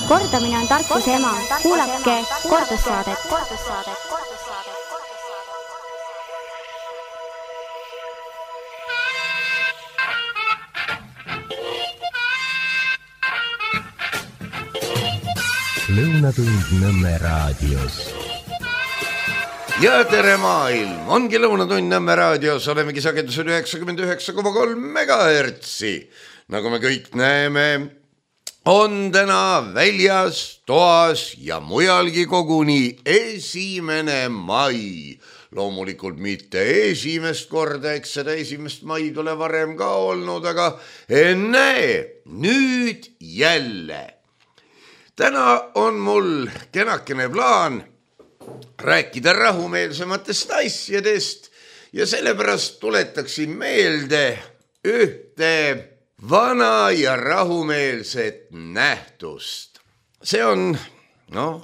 Kordamine on tarkuse ema. Kuulake kordussaadet. Lõunatund Nõmme raadios. Ja tere maailm, ongi Lõunatund Nõmme raadios, olemegi sagedusel 99,3 megahertsi. Nagu me kõik näeme, on täna väljas, toas ja mujalgi koguni 1. mai. Loomulikult mitte esimest korda, eks seda 1. maid ole varem ka olnud, aga näe, nüüd jälle. Täna on mul kenakene plaan rääkida rahumeelsematest asjadest ja sellepärast tuletaksin meelde ühte vana ja rahumeelset nähtust. See on,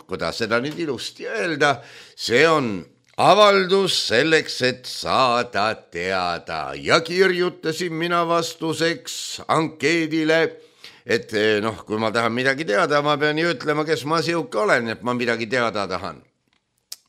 kuidas seda nüüd ilusti öelda, see on avaldus selleks, et saada teada ja kirjutasin mina vastuseks ankeedile, et kui ma tahan midagi teada, ma pean ju ütlema, kes ma siuke olen, et ma midagi teada tahan.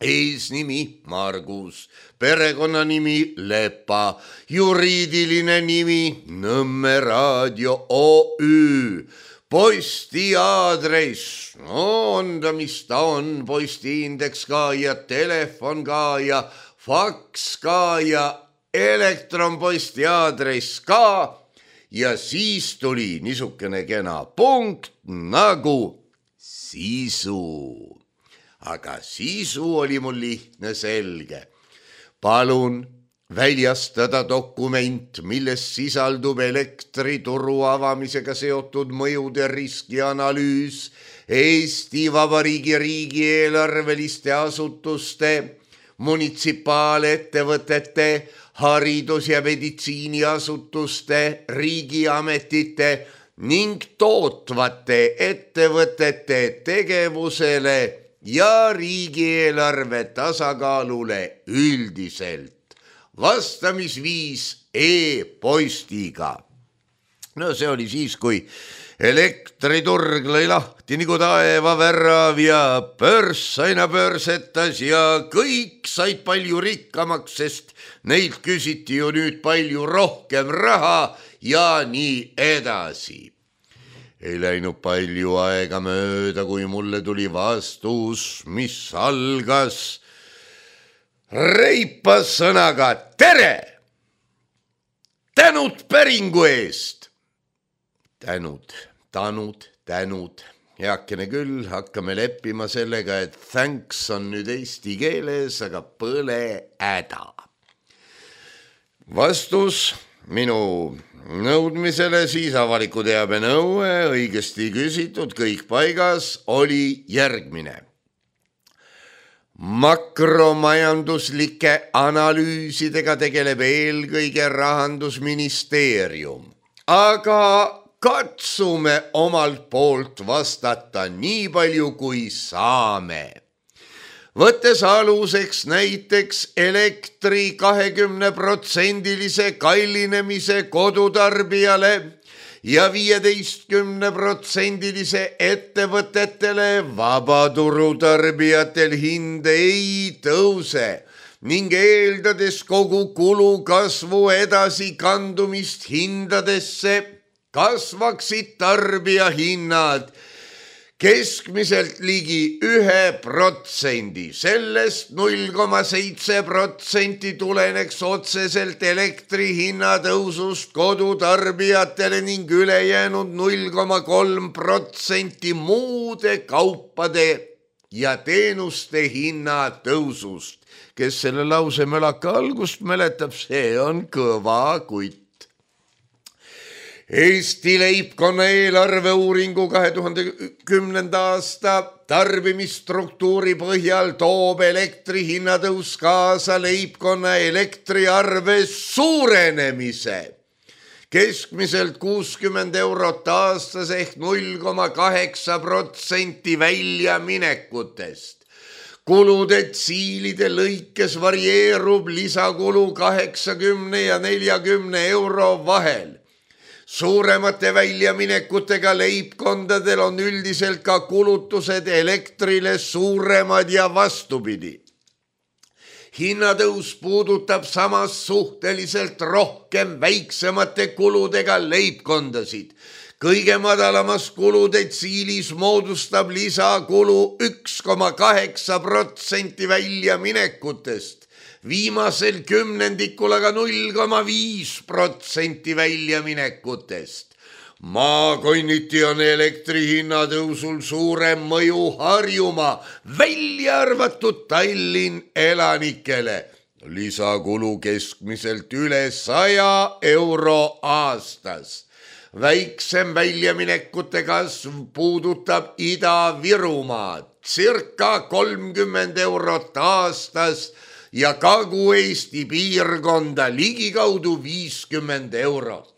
Eesnimi Margus, perekonnanimi Lepa, juriidiline nimi Nõmme Raadio OÜ, posti aadress, on ta, mis ta on, postiindeks ka ja telefon ka ja faks ka ja elektronposti aadress ka. Ja siis tuli niisugune kena punkt nagu sisu. Aga sisu oli mul lihtne selge. Palun väljastada dokument, milles sisaldub elektrituru avamisega seotud mõjude riskianalüüs, Eesti Vabariigi riigieelarveliste asutuste, munitsipaalettevõtete, haridus- ja meditsiiniasutuste, riigiametite ning tootvate ettevõtete tegevusele ja riigieelarve tasakaalule üldiselt. Vastamisviis e-postiga. See oli siis, kui elektriturg lõi lahti nagu taevavärav ja börs aina börsetas ja kõik said palju rikkamaks, sest neilt küsiti ju nüüd palju rohkem raha ja nii edasi. Ei läinud palju aega mööda, kui mulle tuli vastus, mis algas reipas sõnaga tere! Tänud päringu eest! Tänud. Heakene küll, hakkame leppima sellega, et thanks on nüüd eesti keeles, aga põle häda. Vastus minu nõudmisele, siis avaliku teabe nõue, õigesti küsitud, kõik paigas, oli järgmine. Makromajanduslike analüüsidega tegeleb eelkõige Rahandusministeerium, aga katsume omalt poolt vastata nii palju, kui saame. Võttes aluseks näiteks elektri 20% kallinemise kodutarbijale ja 15% ettevõtetele, vabaturutarbijatel hind ei tõuse ning eeldades kogu kulu kasvu edasi kandumist hindadesse, kasvaksid tarbijahinnad keskmiselt ligi 1%, sellest 0,7% tuleneks otseselt elektri hinna tõusust kodutarbijatele ning ülejäänud 0,3% muude kaupade ja teenuste hinna tõusust. Kes selle lause mölaka algust mäletab, see on kõva kutt. Eesti leibkonna eelarveuuringu 2010. aasta tarbimisstruktuuri põhjal toob elektri hinnatõus kaasa leibkonna elektriarve suurenemise. Keskmiselt 60 eurot aastas ehk 0,8% väljaminekutest. Kuludetsiilide lõikes varieerub lisakulu 80 ja 40 euro vahel. Suuremate väljaminekutega leibkondadel on üldiselt ka kulutused elektrile suuremad ja vastupidi. Hinnatõus puudutab samas suhteliselt rohkem väiksemate kuludega leibkondasid. Kõige madalamas kuludetsiilis moodustab lisakulu 1,8% väljaminekutest, viimasel kümnendikul aga 0,5% väljaminekutest. Maakonniti on elektri hinnatõusul suurem mõju Harjumaa, välja arvatud Tallinn elanikele. Lisakulu keskmiselt üle 100 euro aastas. Väiksem väljaminekute kasv puudutab Ida-Virumaad, circa 30 eurot aastas ja Kagu-Eesti piirkonda ligikaudu 50 eurot.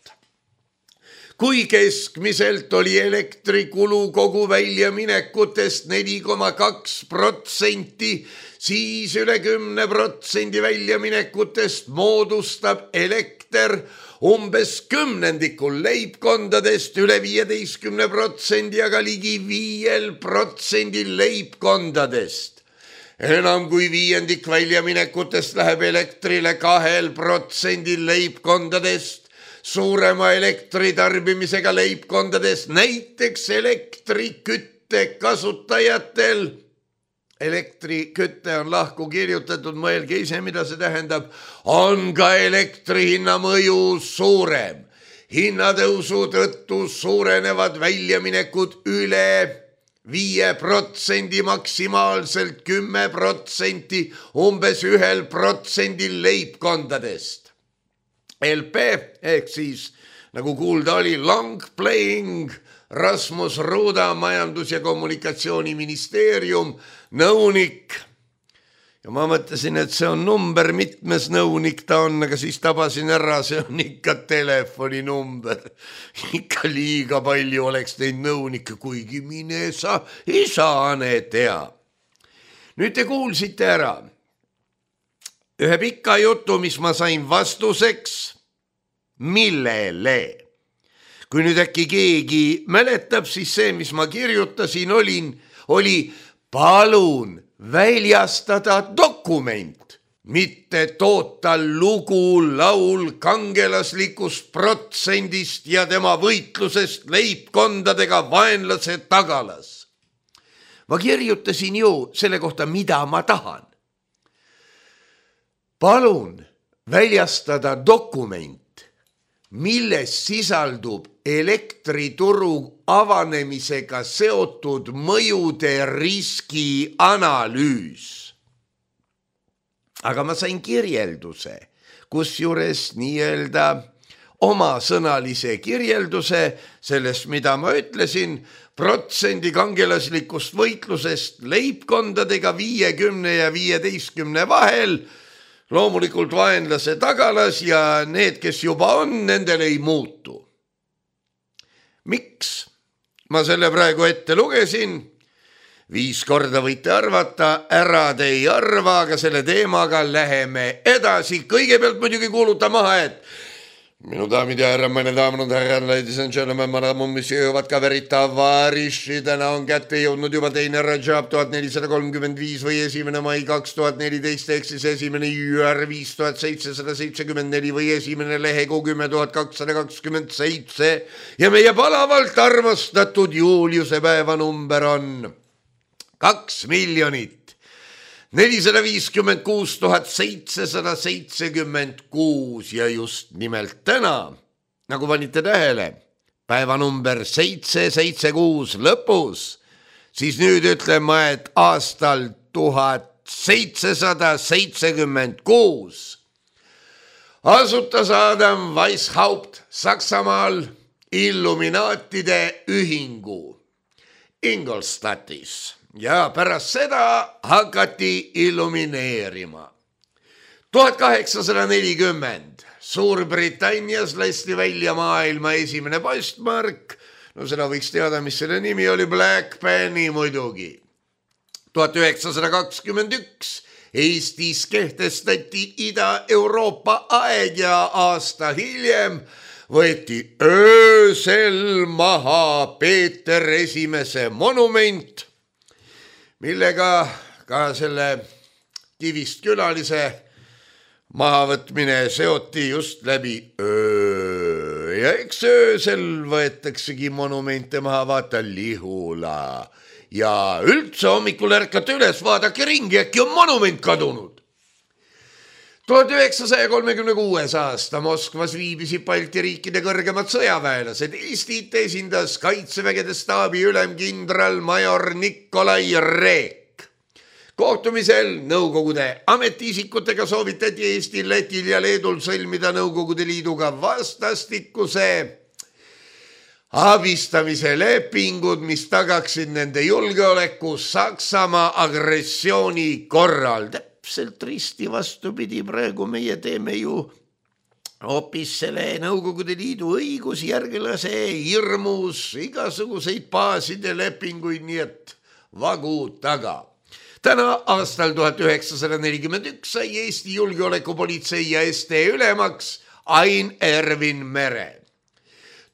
Kui keskmiselt oli elektrikulu kogu väljaminekutest 4,2%, siis üle 10% väljaminekutest moodustab elekter umbes kümnendikul leibkondadest, üle 15%, aga ligi 5% leibkondadest. Enam kui viiendik väljaminekutest läheb elektrile 2% leibkondadest. Suurema elektritarbimisega leibkondades, näiteks elektrikütte kasutajatel. Elektrikütte on lahku kirjutatud, mõelge ise, mida see tähendab, on ka elektrihinna mõju suurem. Hinnatõusu tõttu suurenevad väljaminekud üle 5%, maksimaalselt 10%, umbes 1% leibkondadest. LP ehk siis, nagu kuulda oli, long playing, Rasmus Ruuda, Majandus- ja Kommunikatsiooniministeerium, nõunik. Ja ma mõtlesin, et see on number, mitmes nõunik ta on, aga siis tabasin ära, see on ikka telefoninumber. Ikka liiga palju oleks neid nõunikke, kuigi mine sa, isane tea. Nüüd te kuulsite ära ühe pika jutu, mis ma sain vastuseks, millele. Kui nüüd äkki keegi mäletab, siis see, mis ma kirjutasin, oli palun väljastada dokument, mitte toota lugu laul kangelaslikust protsendist ja tema võitlusest leibkondadega vaenlase tagalas. Ma kirjutasin ju selle kohta, mida ma tahan. Palun väljastada dokument, milles sisaldub elektrituru avanemisega seotud mõjude riski analüüs. Aga ma sain kirjelduse, kusjuures nii-öelda omasõnalise kirjelduse sellest, mida ma ütlesin, protsendi kangelaslikust võitlusest leibkondadega 50 ja 15 vahel, loomulikult vaenlase tagalas ja need, kes juba on, nendel ei muutu. Miks ma selle praegu ette lugesin? 5 korda võite arvata, ära te ei arva, aga selle teemaga läheme edasi. Kõigepealt muidugi kuuluta maha, et minu daamid ja härra, meine daamid und herren, ladies and gentlemen, madame, monsieur, vatkaveri tavariši, täna on kätte jõudnud juba teine Rajab 1435 või 1. mai 2014, ehk siis 1. jüär 5774 või 1. lehekuu 10227 ja meie palavalt armastatud Juliuse päevanumber on 2 456 776 ja just nimelt täna, nagu panite tähele, päevanumber 776 lõpus, siis nüüd ütlen ma, et aastal 1776 asutas Adam Weishaupt Saksamaal Illuminaatide ühingu Ingolstadtis. Ja pärast seda hakati illumineerima. 1840 Suurbritannias lasti välja maailma esimene postmark. No seda võiks teada, mis selle nimi oli, Black Penny muidugi. 1921 Eestis kehtestati Ida-Euroopa aeg ja aasta hiljem võeti öösel maha Peeter Esimese monument, millega ka selle Kivist külalise mahavõtmine seoti just läbi öö. Ja eks öösel võetaksegi monumente maha, vaata Lihula. Ja üldse hommikul ärkate üles, vaadake ringi, äkki on monument kadunud. 1936. aasta Moskvas viibisid Balti riikide kõrgemad sõjaväelased. Eestit esindas kaitsevägede staabi ülemkindral major Nikolai Reek. Kohtumisel Nõukogude ametiisikutega soovitati Eestil, Lätil ja Leedul sõlmida Nõukogude Liiduga vastastikuse abistamise lepingud, mis tagaksid nende julgeoleku Saksamaa agressiooni korral. Täpselt risti vastupidi, praegu meie teeme ju hoopis selle Nõukogude Liidu õigusjärglase hirmus igasuguseid baaside lepinguid, nii et vagu taga. Täna aastal 1941 sai Eesti julgeolekupolitsei ja ST ülemaks Ain Ervin Mere.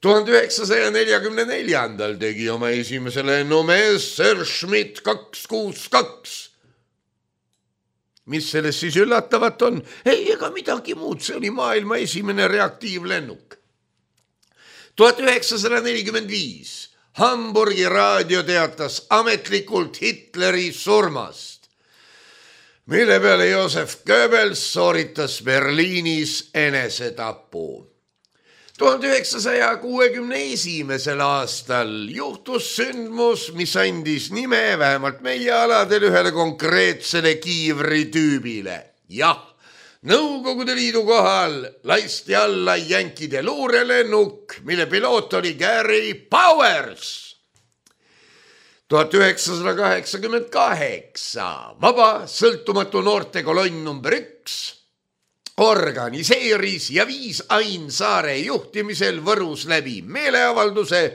1944. tegi oma esimese lennu Messerschmitt 262. Mis selles siis üllatavat on? Ei, ega midagi muud, see oli maailma esimene reaktiivlennuk. 1945. Hamburgi raadio teatas ametlikult Hitleri surmast, mille peale Josef Goebbels sooritas Berliinis enesetapu. 1961. aastal juhtus sündmus, mis andis nime vähemalt meie aladel ühele konkreetsele kiivritüübile. Jah, Nõukogude Liidu kohal lasti alla jänkide luurelennuk, mille piloot oli Gary Powers. 1988 vaba sõltumatu noortekolonn number 1 organiseeris ja viis Ain Saare juhtimisel Võrus läbi meeleavalduse,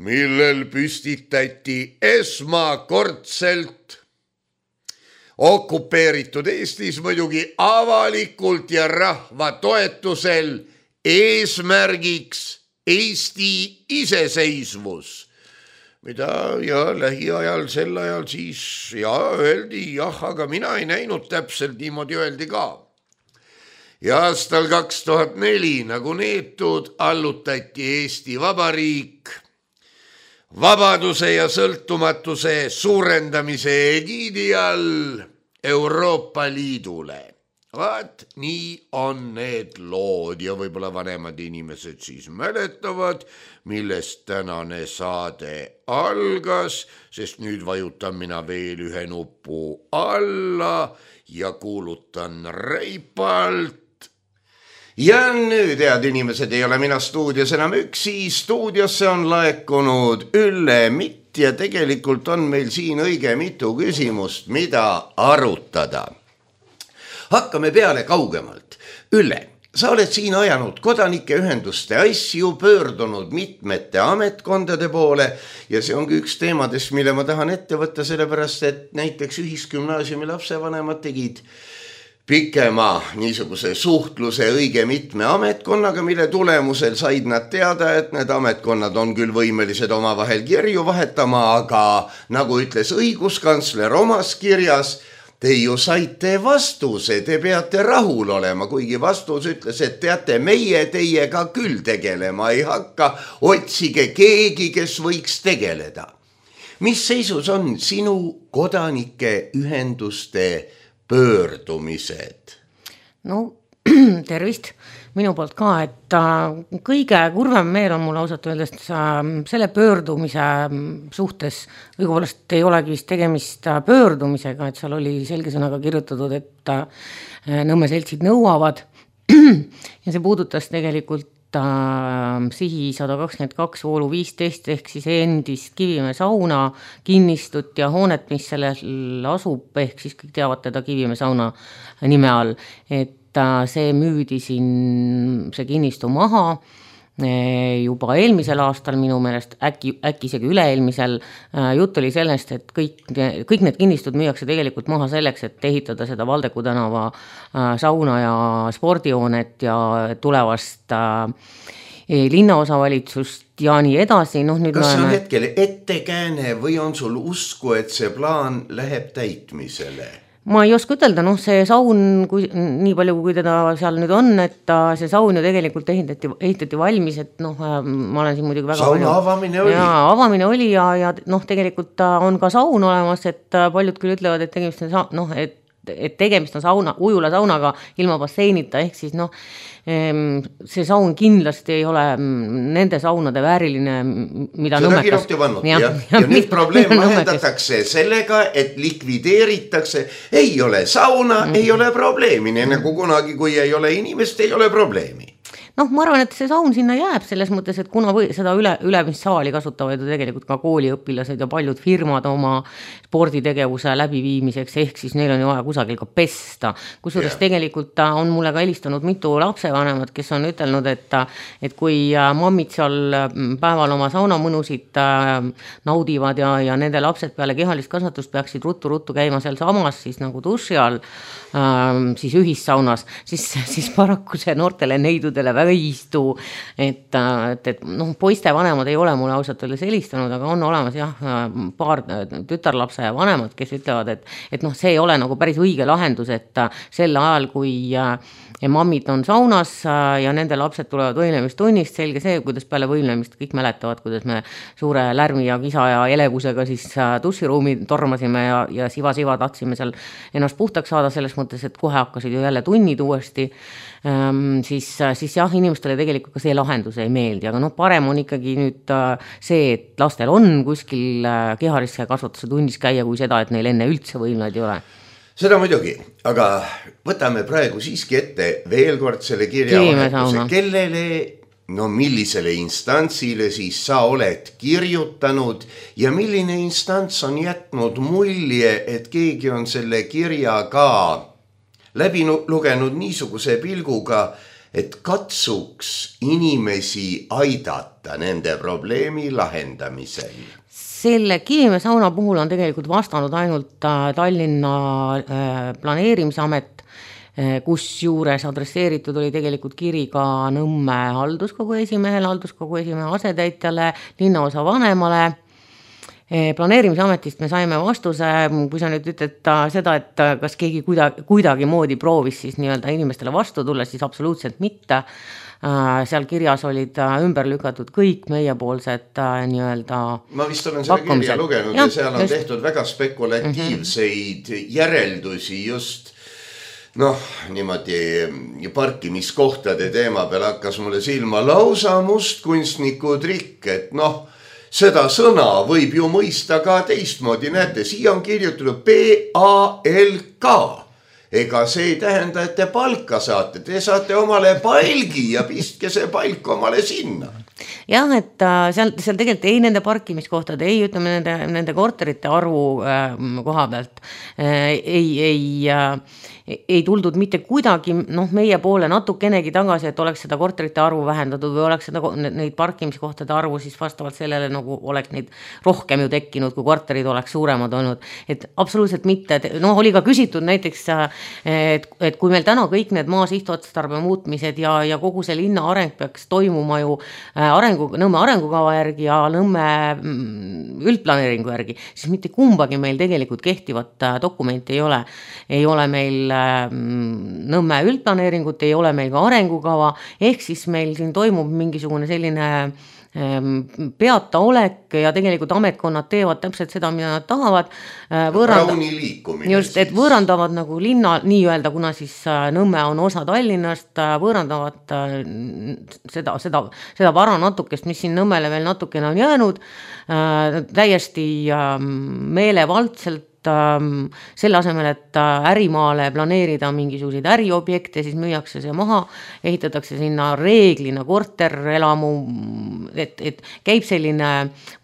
millel püstitati esmakordselt okupeeritud Eestis muidugi avalikult ja rahva toetusel eesmärgiks Eesti iseseisvus, mida ja lähiajal sel ajal siis öeldi, aga mina ei näinud täpselt, niimoodi öeldi ka. Ja aastal 2004 nagu neetud allutati Eesti Vabariik vabaduse ja sõltumatuse suurendamise egiidi all Euroopa Liidule. Vaat nii on need lood ja võib-olla vanemad inimesed siis mäletavad, millest tänane saade algas, sest nüüd vajutan mina veel ühe nupu alla ja kuulutan reipalt. Ja nüüd, head inimesed, ei ole mina stuudios enam üksi, stuudiosse on laekunud Ülle Mitt ja tegelikult on meil siin õige mitu küsimust, mida arutada. Hakkame peale kaugemalt. Ülle, sa oled siin ajanud kodanike ühenduste asju, pöördunud mitmete ametkondade poole ja see ongi üks teemadest, mille ma tahan ette võtta, sellepärast et näiteks Ühisgümnaasiumi lapsevanemad tegid pikema niisuguse suhtluse õige mitme ametkonnaga, mille tulemusel said nad teada, et need ametkonnad on küll võimelised omavahel kirju vahetama, aga nagu ütles õiguskantsler omas kirjas, te ju saite vastuse, te peate rahul olema, kuigi vastus ütles, et teate, meie teiega küll tegelema ei hakka, otsige keegi, kes võiks tegeleda. Mis seisus on sinu kodanike ühenduste pöördumised? No tervist minu poolt ka, et kõige kurvem meel on mul ausalt öeldes selle pöördumise suhtes, õigupoolest ei olegi vist tegemist pöördumisega, et seal oli selge sõnaga kirjutatud, et Nõmme seltsid nõuavad ja see puudutas tegelikult Sihi 122 voolu 15 ehk siis endist Kivimäe sauna kinnistut ja hoonet, mis sellel asub, ehk siis kõik teavad teda Kivimäe sauna nime all, et see müüdi siin see kinnistu maha juba eelmisel aastal minu meelest, äkki isegi üle-eelmisel. Jutt oli sellest, et kõik need kinnistud müüakse tegelikult maha selleks, et ehitada seda Valdeku tänava sauna ja spordihoonet ja tulevast linnaosavalitsust ja nii edasi. Nüüd kas see on hetkel ettekääne või on sul usku, et see plaan läheb täitmisele? Ma ei oska ütelda, see saun, nii palju kui teda seal nüüd on, et see saun ju tegelikult ehitati valmis, et ma olen siin muidugi väga sauna avamine oli. Ja avamine oli ja tegelikult ta on ka saun olemas, et paljud küll ütlevad, et tegemist on ujula saunaga ilma basseinita, ehk siis see saun kindlasti ei ole nende saunade vääriline, mida seda kirjuti vannud, ja nüüd probleem lahendatakse sellega, et likvideeritakse, ei ole sauna, ei ole probleemi, nagu kunagi, kui ei ole inimest, ei ole probleemi. Ma arvan, et see saun sinna jääb selles mõttes, et kuna seda ülemissaali kasutavad ju tegelikult ka kooliõpilased ja paljud firmad oma sporditegevuse läbiviimiseks, ehk siis neil on ju vaja kusagil ka pesta. Kusjuures tegelikult on mulle ka helistanud mitu lapsevanemat, kes on ütelnud, et kui mammid seal päeval oma saunamõnusid naudivad ja nende lapsed peale kehalist kasvatust peaksid ruttu käima seal samas siis nagu duši all, siis ühissaunas, siis paraku see noortele neidudele väga ei istu, et poiste vanemad ei ole mulle ausalt öeldes helistanud, aga on olemas paar tütarlapse vanemad, kes ütlevad, et see ei ole nagu päris õige lahendus, et sel ajal, kui mammid on saunas ja nende lapsed tulevad võimlemistunnist, selge see, kuidas peale võimlemist kõik mäletavad, kuidas me suure lärmi ja kisa ja elevusega siis duširuumi tormasime ja siva tahtsime seal ennast puhtaks saada selles mõttes, et kohe hakkasid ju jälle tunnid uuesti, siis jah, inimestele tegelikult ka see lahendus ei meeldi, aga parem on ikkagi nüüd see, et lastel on kuskil kehalisse kasvatuse tunnis käia, kui seda, et neil enne üldse võimlaid ei ole. Seda muidugi, aga võtame praegu siiski ette veel kord selle kirjavahetuse, kellele, millisele instantsile siis sa oled kirjutanud ja milline instants on jätnud mulje, et keegi on selle kirja ka läbi lugenud niisuguse pilguga, et katsuks inimesi aidata nende probleemi lahendamisel. Selle Kivimäe sauna puhul on tegelikult vastanud ainult Tallinna planeerimisamet, kus juures adresseeritud oli tegelikult kiri ka Nõmme halduskogu esimehele, halduskogu esimehe asetäitjale, linnaosa vanemale. Planeerimisametist me saime vastuse, kui sa nüüd ütled seda, et kas keegi kuidagi moodi proovis siis nii-öelda inimestele vastu tulla, siis absoluutselt mitte. Seal kirjas olid ümber lükatud kõik meiepoolsed nii-öelda ma vist olen selle kirja lugenud ja seal on tehtud väga spekulatiivseid järeldusi just niimoodi parkimiskohtade teema peal hakkas mulle silma lausa mustkunstniku trikk, et seda sõna võib ju mõista ka teistmoodi, näete, siia on kirjutatud PALK. Ega see ei tähenda, et te palka saate, te saate omale palgi ja pistke see palk omale sinna. Jah, et seal tegelikult ei nende parkimiskohtade, ei ütleme nende korterite arvu koha pealt, ei tuldud mitte kuidagi meie poole natukenegi tagasi, et oleks seda korterite arvu vähendatud või oleks neid parkimiskohtade arvu siis vastavalt sellele nagu oleks neid rohkem ju tekkinud, kui korterid oleks suuremad olnud. Et absoluutselt mitte, oli ka küsitud näiteks, et kui meil täna kõik need maa sihtotstarbe muutmised ja kogu see linna areng peaks toimuma ju Nõmme arengukava järgi ja Nõmme üldplaneeringu järgi, siis mitte kumbagi meil tegelikult kehtivat dokumenti ei ole. Ei ole meil Nõmme üldplaneeringut, ei ole meil ka arengukava, ehk siis meil siin toimub mingisugune selline peata olek ja tegelikult ametkonnad teevad täpselt seda, mida nad tahavad. Rauni liikumine. Just, et võõrandavad nagu linna nii-öelda, kuna siis Nõmme on osa Tallinnast, võõrandavad seda vara natukest, mis siin Nõmmele veel natukene on jäänud, täiesti meelevaldselt selle asemel, et ärimaale planeerida mingisuguseid äriobjekte, siis müüakse see maha, ehitatakse sinna reeglina korterelamu, et käib selline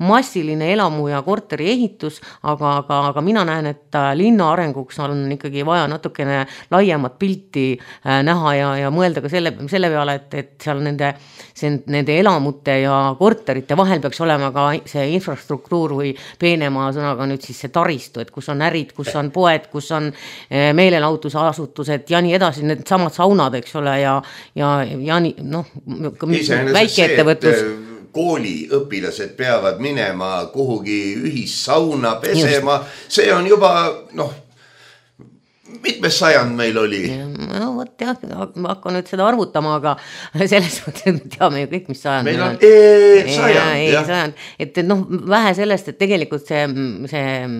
massiline elamu ja korteri ehitus, aga mina näen, et linna arenguks on ikkagi vaja natukene laiemat pilti näha ja mõelda ka selle peale, et seal nende elamute ja korterite vahel peaks olema ka see infrastruktuur või peenema sõnaga nüüd siis see taristu, et kus on ärid, kus on poed, kus on meelelahutusasutused ja nii edasi, need samad saunad, eks ole, ja nii, noh, väikeettevõtlus. Kooliõpilased peavad minema kuhugi ühissauna pesema, see on juba, noh, mitmes sajand meil oli? No võt jah, ma hakkan nüüd seda arvutama, aga selles mõttes teame ju kõik, mis sajand meil on. Sajand. Et noh, vähe sellest, et tegelikult see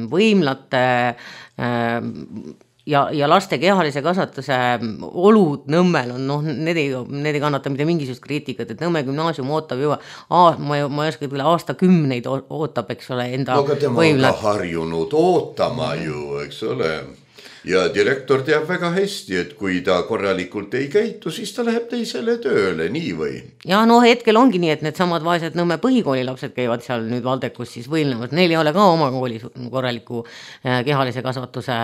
võimlate ja laste kehalise kasvatuse olud Nõmmel on, noh, need ei kannata mitte mingisugust kriitikat, et Nõmme gümnaasium ootab juba, ma ei oska üle aastakümneid ootab, eks ole, enda võimlat. No aga tema on ka harjunud ootama ju, eks ole. Ja direktor teab väga hästi, et kui ta korralikult ei käitu, siis ta läheb teisele tööle, nii või? Ja no hetkel ongi nii, et need samad vaesed Nõmme põhikooli lapsed käivad seal nüüd Valdekus siis võilnevad. Neil ei ole ka oma koolis korraliku kehalise kasvatuse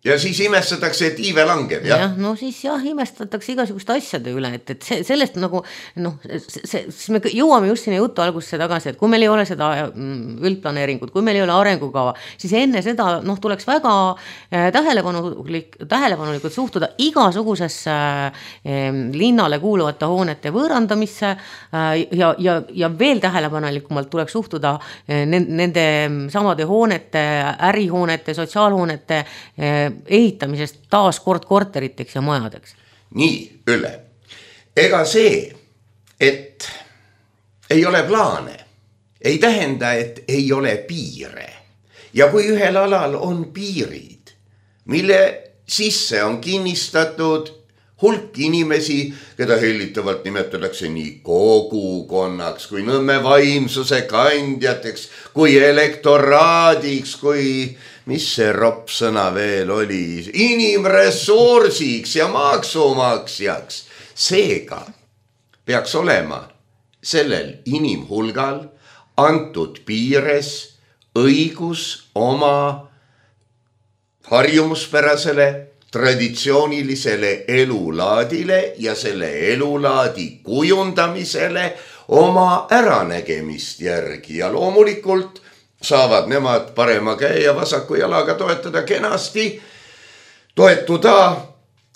ja siis imestatakse, et iive langeb, jah? Ja, no siis jah, imestatakse igasuguste asjade üle, et sellest nagu, noh, siis me jõuame just sinna jutu algusse tagasi, et kui meil ei ole seda üldplaneeringut, kui meil ei ole arengukava, siis enne seda, noh, tuleks väga tähelepanulikult suhtuda igasugusesse linnale kuuluvate hoonete võõrandamisse ja veel tähelepanelikumalt tuleks suhtuda nende samade hoonete, ärihoonete, sotsiaalhoonete ehitamisest taas kord korteriteks ja majadeks. Nii, Ülle. Ega see, et ei ole plaane, ei tähenda, et ei ole piire. Ja kui ühel alal on piirid, mille sisse on kinnistatud hulk inimesi, keda hellitavalt nimetatakse nii kogukonnaks, kui Nõmme vaimsuse kandjateks, kui elektoraadiks, kui mis see ropsõna veel oli, inimressursiks ja maksumaksjaks. Seega peaks olema sellel inimhulgal antud piires õigus oma harjumuspärasele traditsioonilisele elulaadile ja selle elulaadi kujundamisele oma äranägemist järgi ja loomulikult saavad nemad parema käe ja vasaku jalaga toetada kenasti, toetuda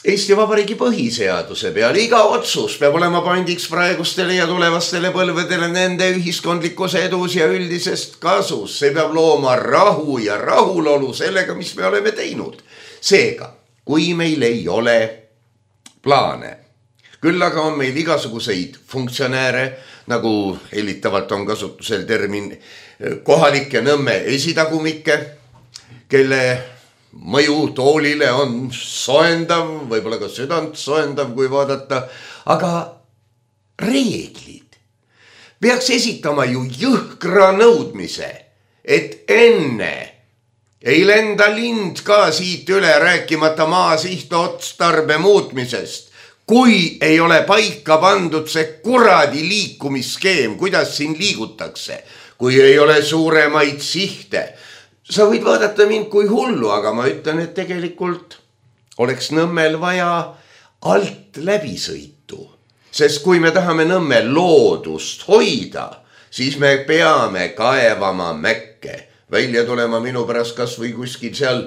Eesti Vabariigi põhiseaduse peale. Iga otsus peab olema pandiks praegustele ja tulevastele põlvedele nende ühiskondlikkuse edus ja üldisest kasus. See peab looma rahu ja rahulolu sellega, mis me oleme teinud. Seega, kui meil ei ole plaane, küll aga on meil igasuguseid funktsionääre, nagu hellitavalt on kasutusel termin kohalike Nõmme esitagumikke, kelle mõju toolile on soendav, võib-olla ka südant soendav, kui vaadata, aga reeglid peaks esitama ju jõhkra nõudmise, et enne ei lenda lind ka siit üle rääkimata maa sihtotstarbe muutmisest, kui ei ole paika pandud see kuradi liikumisskeem, kuidas siin liigutakse, kui ei ole suuremaid sihte. Sa võid vaadata mind kui hullu, aga ma ütlen, et tegelikult oleks Nõmmel vaja alt läbisõitu. Sest kui me tahame Nõmme loodust hoida, siis me peame kaevama mäkke. Välja tulema minu pärast kas või kuskil seal,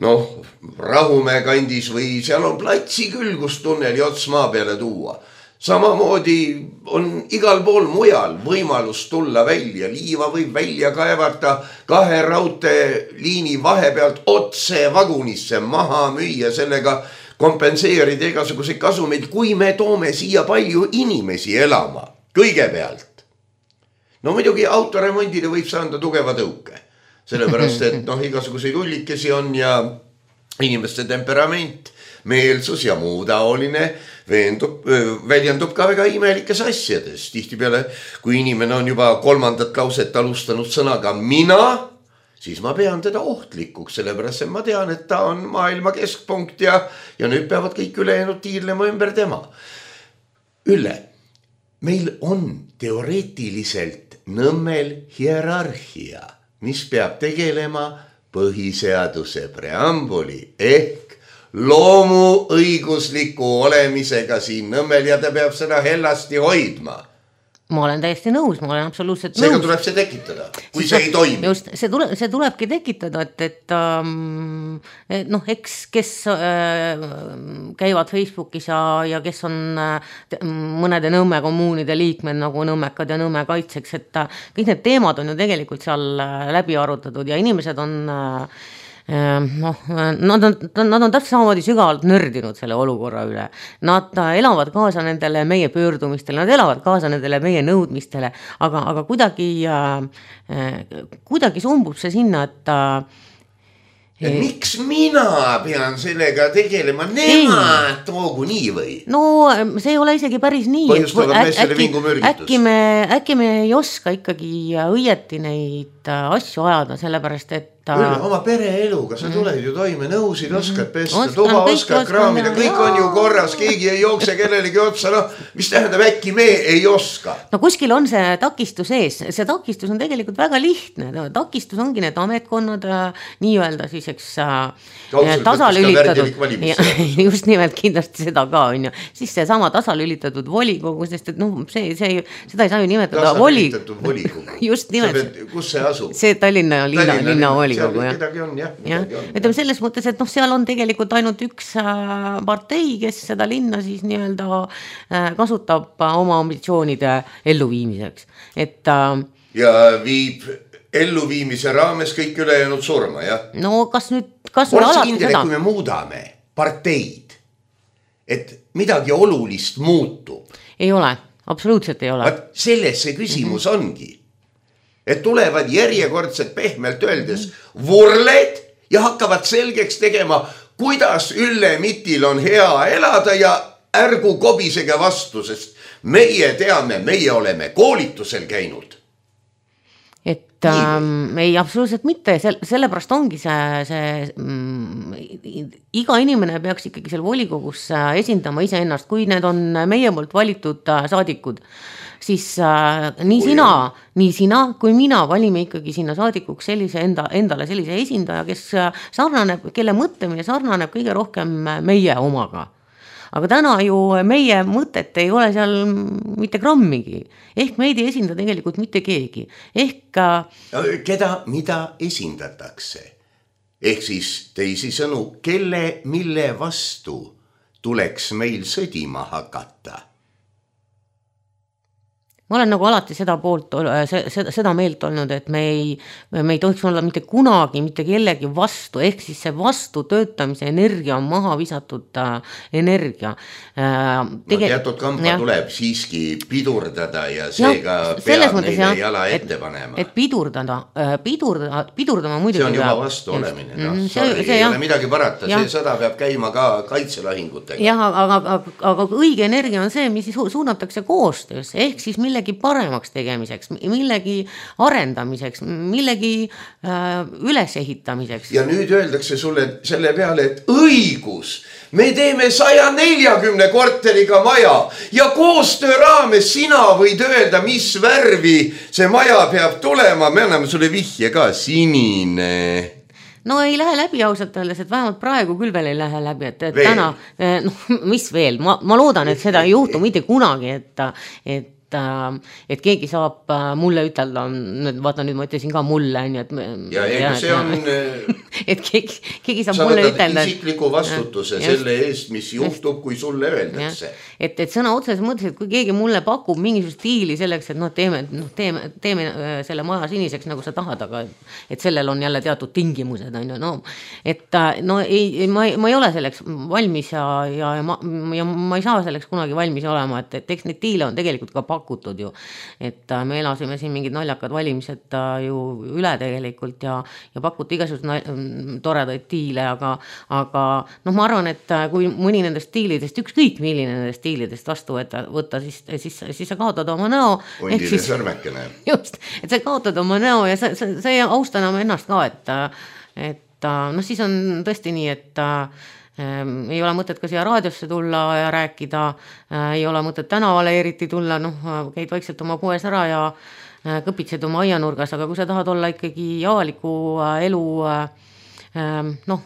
noh, Rahumäe kandis või seal on platsi küll, kus tunneli ots maa peale tuua. Samamoodi on igal pool mujal võimalus tulla välja, liiva võib välja kaevata 2 raudteeliini vahepealt otse vagunisse maha müüa, sellega kompenseerida igasuguseid kasumeid, kui me toome siia palju inimesi elama kõigepealt. No muidugi autoremondile võib saada tugeva tõuke, sellepärast et noh, igasuguseid ullikesi on ja inimeste temperament, meelsus ja muu taoline väljendub ka väga imelikes asjades. Tihtipeale, kui inimene on juba 3. lauset alustanud sõnaga mina, siis ma pean teda ohtlikuks, sellepärast et ma tean, et ta on maailma keskpunkt ja nüüd peavad kõik ülejäänud tiirlema ümber tema. Ülle, meil on teoreetiliselt Nõmmel hierarhia, mis peab tegelema põhiseaduse preambuli ehk loomuõigusliku olemisega siin Nõmmel ja ta peab seda hellasti hoidma. ma olen täiesti nõus, ma olen absoluutselt seega nõus. tuleb see tekitada, kui see ei toimi. Just, see tulebki tekitada, et noh, eks kes käivad Facebookis ja kes on mõnede Nõmme kommuunide liikmed nagu Nõmmekad ja Nõmme kaitseks, et kõik need teemad on ju tegelikult seal läbi arutatud ja inimesed on nad on täpselt samamoodi sügavalt nördinud selle olukorra üle. Nad elavad kaasa nendele meie pöördumistele, nad elavad kaasa nendele meie nõudmistele, aga kuidagi sumbub see sinna, et miks mina pean sellega tegelema? Nemad toogu nii või? No see ei ole isegi päris nii. Põhjustavad meestele vingumürgitus. Äkki me ei oska ikkagi õieti neid asju ajada, sellepärast et Küll, oma pereeluga, sa tuled ju toime, nõusid oskad pesta, tuba oskad kraamida, kõik on ju korras, keegi ei jookse kellelegi otsa, mis tähendab äkki me ei oska? No kuskil on see takistus ees, see takistus on tegelikult väga lihtne, takistus ongi need ametkonnad nii-öelda siis, eks tasalülitatud, just nimelt kindlasti seda ka on ju, siis see sama tasalülitatud volikogu, sest et noh, seda ei saa ju nimetada volikogu, just nimelt, kus see asub? See Tallinna linna volikogu. Kedagi on, jah. Ütleme selles mõttes, et noh, seal on tegelikult ainult üks partei, kes seda linna siis nii-öelda kasutab oma ambitsioonide elluviimiseks. Ja viib elluviimise raames kõik ülejäänud surma, jah? No kas nüüd alati kindel, seda? Kui me muudame parteid, et midagi olulist muutub. Ei ole, absoluutselt ei ole. Selles see küsimus ongi. Et tulevad järjekordselt pehmelt öeldes vurled ja hakkavad selgeks tegema, kuidas Ülle Mitil on hea elada ja ärgu kobisege vastu, sest meie teame, meie oleme koolitusel käinud. Ei, absoluutselt mitte, sellepärast ongi iga inimene peaks ikkagi seal volikogus esindama iseennast, kui need on meie poolt valitud saadikud, siis nii sina kui mina valime ikkagi sinna saadikuks endale sellise esindaja, kes sarnaneb, kelle mõtlemine sarnaneb kõige rohkem meie omaga. Aga täna ju meie mõtet ei ole seal mitte grammigi. Ehk meid ei esinda tegelikult mitte keegi. Keda, mida esindatakse? Ehk siis teisisõnu, kelle, mille vastu tuleks meil sõdima hakata? Ma olen nagu alati seda meelt olnud, et me ei tohiks olla mitte kunagi, mitte kellegi vastu, ehk siis see vastu töötamise energia on maha visatud energia. Teatud kamba tuleb siiski pidurdada ja seega peab neile jala ette panema. Et pidurdama muidugi. See on juba vastu olemine. Ei ole midagi parata, see sõda peab käima ka kaitselahingutega. Jah, aga õige energia on see, mis suunatakse koostöös, ehk siis millegi paremaks tegemiseks, millegi arendamiseks, millegi ülesehitamiseks. Ja nüüd öeldakse sulle selle peale, et õigus, me teeme 140 korteriga maja ja koostöö raames sina võid öelda, mis värvi see maja peab tulema, me anname sulle vihje ka, sinine. No ei lähe läbi ausalt öeldes, et vähemalt praegu küll veel ei lähe läbi, et täna, mis veel, ma loodan, et seda ei juhtu mitte kunagi, et keegi saab mulle ütelda, vaata nüüd ma ütlesin ka mulle, see on et keegi saab mulle ütelda. Sa võtad isikliku vastutuse selle eest, mis juhtub, kui sulle öeldakse. Et sõna otseses mõttes, et kui keegi mulle pakub mingisugust stiili selleks, et teeme selle maja siniseks, nagu sa tahad, aga et sellel on jälle teatud tingimused. Ma ei ole selleks valmis ja ma ei saa selleks kunagi valmis olema, et eks neid tiile on tegelikult ka pakutud ju, et me elasime siin mingid naljakad valimised ju üle tegelikult ja pakuti igasugused toredaid tiile, aga ma arvan, et kui mõni nendest stiilidest, ükskõik milline nendest stiilidest vastu võtta, siis sa kaotad oma näo. Hundile sõrmekene. Just, et sa kaotad oma näo ja sa ei austa enam ennast ka, et siis on tõesti nii, et ei ole mõtet ka siia raadiosse tulla ja rääkida, ei ole mõtet tänavale eriti tulla, käid vaikselt oma poes ära ja kõpitsed oma aianurgas, aga kui sa tahad olla ikkagi avaliku elu,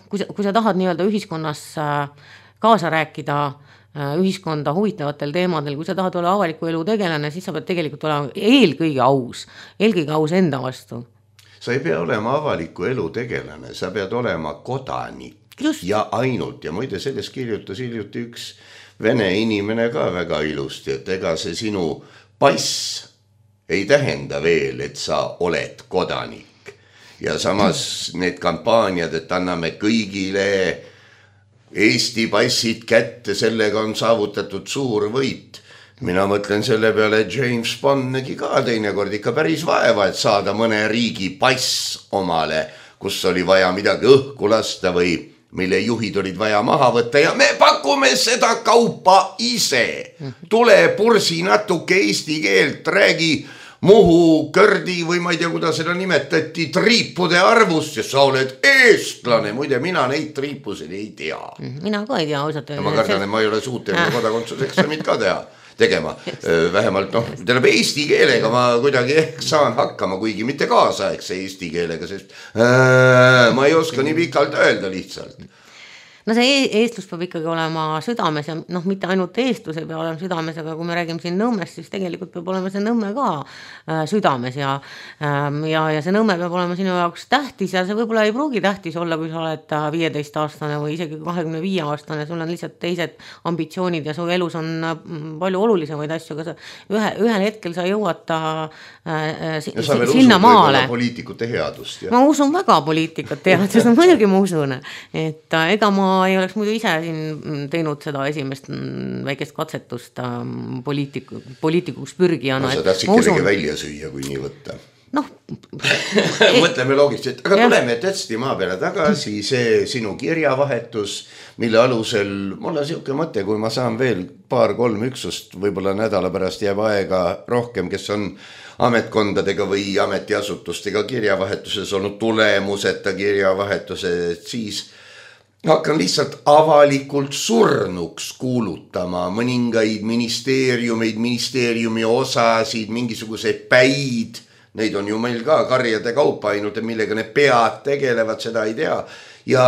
kui sa tahad nii-öelda ühiskonnas kaasa rääkida, ühiskonda huvitavatel teemadel, kui sa tahad olla avaliku elu tegelane, siis sa pead tegelikult olema eelkõige aus enda vastu. Sa ei pea olema avaliku elu tegelane, sa pead olema kodanik. Just. Ja ainult, ja muide selles kirjutas hiljuti üks vene inimene ka väga ilusti, et ega see sinu pass ei tähenda veel, et sa oled kodanik. Ja samas need kampaaniad, et anname kõigile Eesti passid kätte, sellega on saavutatud suur võit. Mina mõtlen selle peale, et James Bond nägi ka teinekord ikka päris vaeva, et saada mõne riigi pass omale, kus oli vaja midagi õhku lasta või mille juhid olid vaja maha võtta ja me pakume seda kaupa ise. Tule pursi natuke eesti keelt, räägi Muhu, Kördi või ma ei tea, kuidas seda nimetati, triipude arvust ja sa oled eestlane. Muide, mina neid triipusid ei tea. Mina ka ei tea ausalt. Ma kardan, et ma ei ole suuteline kodakondsuseksamit ka tegema. Vähemalt eesti keelega ma kuidagi saan hakkama, kuigi mitte kaasaegse eesti keelega, sest ma ei oska nii pikalt öelda lihtsalt. No see eestlus peab ikkagi olema südames ja mitte ainult eestlus ei pea olema südames, aga kui me räägime siin Nõmmest, siis tegelikult peab olema see Nõmme ka südames ja see Nõmme peab olema sinu jaoks tähtis ja see võib-olla ei pruugi tähtis olla, kui sa oled 15-aastane või isegi 25-aastane, sul on lihtsalt teised ambitsioonid ja su elus on palju olulisemaid asju, aga ühel hetkel sa jõuad sinna maale. Poliitikute headust. Ma usun väga poliitikat headust, muidugi ma usun, et ega ma ei oleks muidu ise siin teinud seda esimest väikest katsetust poliitikuks pürgijana. Sa tahtsid kellegi välja süüa, kui nii võtta. Mõtleme loogiliselt, aga tuleme tõesti maa peale tagasi, see sinu kirjavahetus, mille alusel mul on siuke mõte, kui ma saan veel 2-3 üksust, võib-olla nädala pärast jääb aega rohkem, kes on ametkondadega või ametiasutustega kirjavahetuses olnud tulemuseta kirjavahetuse, siis hakkan lihtsalt avalikult surnuks kuulutama mõningaid ministeeriumi osasid, mingisuguseid päid, neid on ju meil ka karjade kaupa ainult, millega need pead tegelevad, seda ei tea. Ja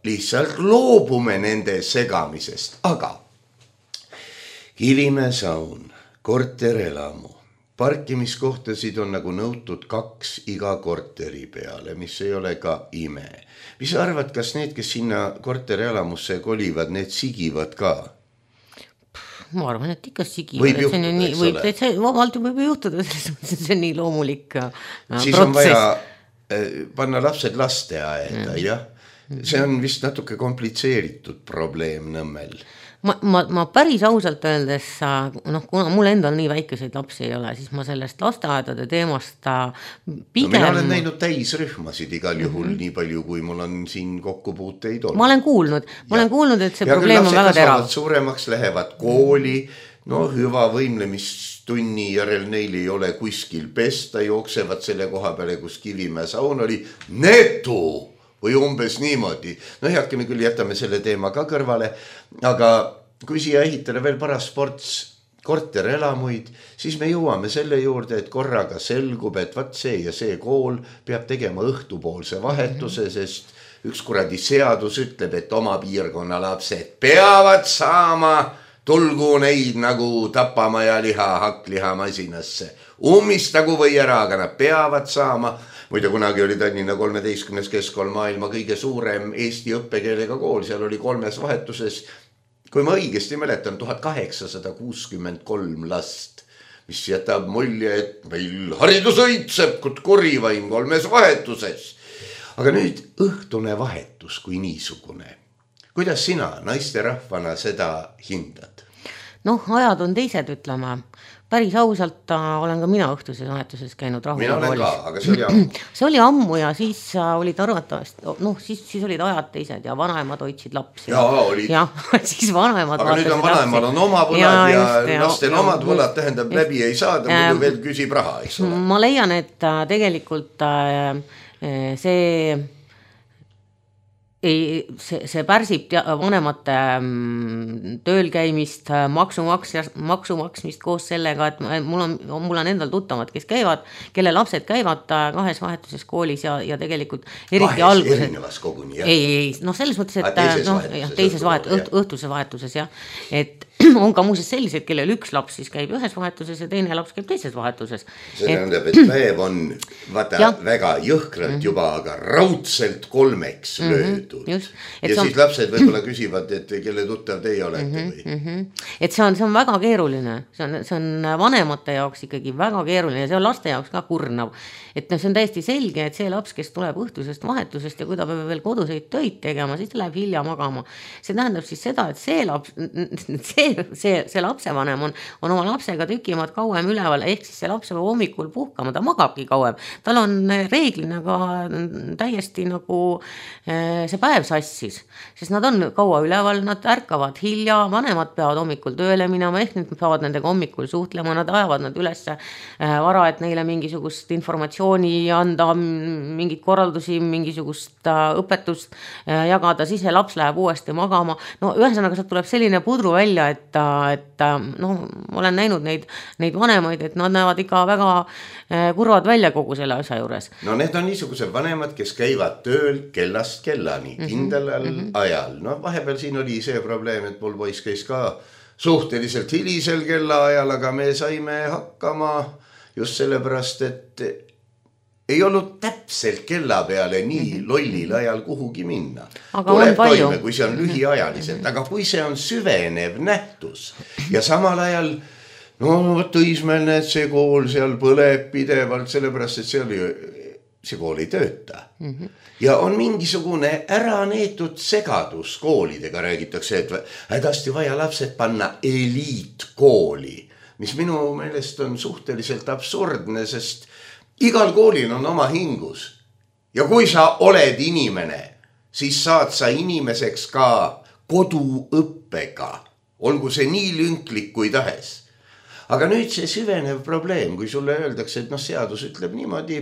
lihtsalt loobume nende segamisest, aga Kivimäe saun, korterelamu, parkimiskohtasid on nagu nõutud 2 iga korteri peale, mis ei ole ka ime. Mis sa arvad, kas need, kes sinna korterelamusse kolivad, need sigivad ka? Ma arvan, et ikka sigivad. Võib juhtuda, eks ole. Vabalt võib juhtuda, see on nii loomulik protsess. Siis on vaja panna lapsed lasteaeda, jah. See on vist natuke komplitseeritud probleem Nõmmel. Ma päris ausalt öeldes, kuna mul endal nii väikeseid lapsi ei ole, siis ma sellest lasteaedade teemast pigem... mina olen näinud täisrühmasid igal juhul nii palju, kui mul on siin kokkupuuteid olnud. Ma olen kuulnud, et see probleem on väga terav. Suuremaks lähevad kooli, hüva võimlemistunni järel neil ei ole kuskil pesta, jooksevad selle koha peale, kus Kivimäe saun oli netu või umbes niimoodi. Heakene küll jätame selle teema ka kõrvale, aga kui siia ehitada veel paras sports korterelamuid, siis me jõuame selle juurde, et korraga selgub, et see ja see kool peab tegema õhtupoolse vahetuse, sest üks kuradi seadus ütleb, et oma piirkonna lapsed peavad saama, tulgu neid nagu tapamaja liha hakkliha masinasse. Ummistagu või ära, aga nad peavad saama. Muide, kunagi oli Tallinna 13. keskkool maailma kõige suurem eesti õppekeelega kool, seal oli 3 vahetuses, kui ma õigesti mäletan, 1863 last, mis jätab mulje, et meil haridus õitseb, korivaim 3 vahetuses. Aga nüüd õhtune vahetus kui niisugune. Kuidas sina naisterahvana seda hindad? Ajad on teised, ütlema. Päris ausalt olen ka mina õhtuses vahetuses käinud Mina olen ka, aga see oli ammu. See oli ammu ja siis olid arvatavasti, siis olid ajad teised ja vanaemad hoidsid lapsi. Jaa, olid. Ja, siis vanaemad aga nüüd on vanaemal on oma võlad ja lastel omad võlad, tähendab läbi ei saada, muidu veel küsib raha, eks ole. Ma leian, et tegelikult see pärsib vanemate tööl käimist, maksu maksmist koos sellega, et mul on endal tuttavad, kes käivad, kelle lapsed käivad 2 vahetuses koolis ja tegelikult eriti alguses. Erinevas koguni, jah? Ei, selles mõttes, et teises õhtuses vahetuses, jah. Et on ka muuseas sellised, kellel üks laps siis käib ühes vahetuses ja teine laps käib teises vahetuses. See tähendab, et päev on väga jõhkralt juba, aga raudselt 3 löödud. Ja siis lapsed võib-olla küsivad, et kelle tuttav teie olete või? Et see on väga keeruline, see on vanemate jaoks ikkagi väga keeruline ja see on laste jaoks ka kurnav. Et see on täiesti selge, et see laps, kes tuleb õhtusest vahetusest ja kui ta peab veel koduseid töid tegema, siis ta läheb hilja magama. See tähendab siis seda, et see lapsevanem on oma lapsega tükimad kauem üleval, ehk siis see laps peab hommikul puhkama, ta magabki kauem. Tal on reeglina ka täiesti nagu see päev sassis, sest nad on kaua üleval, nad ärkavad hilja, vanemad peavad hommikul tööle minema, ehk nad peavad nendega hommikul suhtlema, nad ajavad nad üles vara, et neile mingisugust informatsiooni anda, mingid korraldusi, mingisugust õpetust jagada, siis see laps läheb uuesti magama. No ühesõnaga sealt tuleb selline pudru välja, et olen näinud neid vanemaid, et nad näevad ikka väga kurvad välja kogu selle asja juures. No need on niisugused vanemad, kes käivad tööl kellast kellani, kindlal ajal. No vahepeal siin oli see probleem, et mul poiss käis ka suhteliselt hilisel kellaajal, aga me saime hakkama just sellepärast, et ei olnud täpselt kella peale nii lollil ajal kuhugi minna. Tuleb toime, kui see on lühiajaliselt, aga kui see on süvenev nähtus ja samal ajal Tõismäel näed, see kool seal põleb pidevalt, sellepärast, et see kool ei tööta. Ja on mingisugune ära neetud segadus koolidega, räägitakse, et hädasti vaja lapsed panna eliitkooli, mis minu meelest on suhteliselt absurdne, sest igal koolil on oma hingus. Ja kui sa oled inimene, siis saad sa inimeseks ka koduõppega. Olgu see nii lünklik kui tahes. Aga nüüd see süvenev probleem, kui sulle öeldakse, et seadus ütleb niimoodi,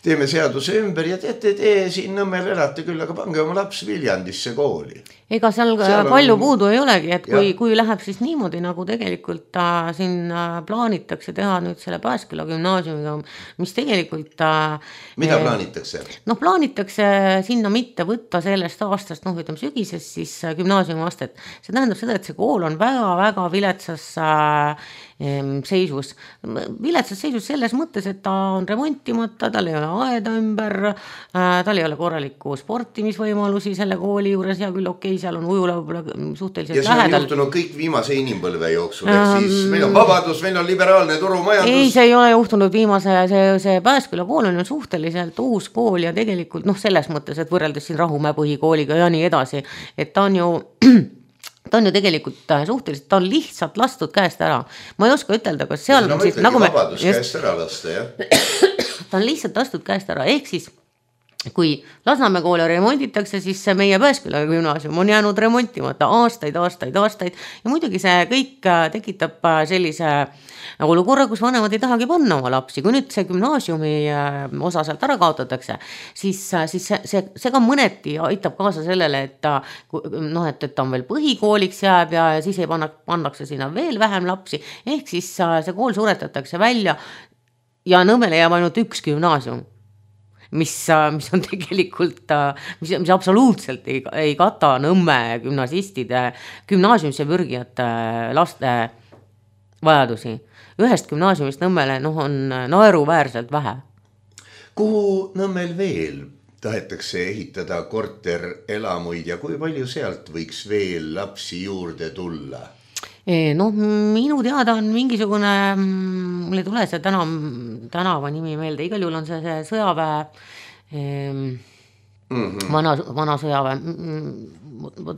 teeme seaduse ümber ja te siin Nõmmel elate küll, aga pange oma laps Viljandisse kooli. Ega seal palju puudu ei olegi, et kui läheb siis niimoodi, nagu tegelikult siin plaanitakse teha nüüd selle Pääsküla gümnaasiumiga, mis tegelikult... Mida plaanitakse? Plaanitakse sinna mitte võtta sellest aastast, ütleme sügisest siis gümnaasiumi astet. See tähendab seda, et see kool on väga-väga viletsas seisus. Viletsas seisus selles mõttes, et ta on remontimata, tal ei ole aeda ümber, tal ei ole korralikku sportimisvõimalusi selle kooli juures ja küll okei, seal on ujula suhteliselt lähedal. Ja see on juhtunud kõik viimase inimpõlve jooksul, ehk siis meil on vabadus, meil on liberaalne turumajandus. Ei, see ei ole juhtunud viimase, see Pääsküla kool on suhteliselt uus kool ja tegelikult selles mõttes, et võrreldes siin Rahumäe põhikooliga ja nii edasi, et ta on ju tegelikult suhteliselt, ta on lihtsalt lastud käest ära. Ma ei oska ütelda, kas seal... No ma ütlegi vabadus käest ära lasta, jah. Ta on lihtsalt lastud käest ära, ehk siis kui Lasnamäe kooli remonditakse, siis see meie Pääsküla gümnaasium on jäänud remontimata aastaid ja muidugi see kõik tekitab sellise olukorra, kus vanemad ei tahagi panna oma lapsi. Kui nüüd see gümnaasiumi osa sealt ära kaotatakse, siis see ka mõneti aitab kaasa sellele, et ta on veel põhikooliks jääb ja siis ei pannakse sinna veel vähem lapsi, ehk siis see kool suretatakse välja ja Nõmmele jääb ainult üks gümnaasium. Mis on tegelikult, mis absoluutselt ei kata Nõmme gümnasistide, gümnaasiumisse pürgijate laste vajadusi. Ühest gümnaasiumist Nõmmele on naeruväärselt vähe. Kuhu Nõmmel veel tahetakse ehitada korterelamuid ja kui palju sealt võiks veel lapsi juurde tulla? Minu teada on mingisugune, mul ei tule see tänava nimi meelde, igal juhul on see sõjaväe, vana sõjaväe,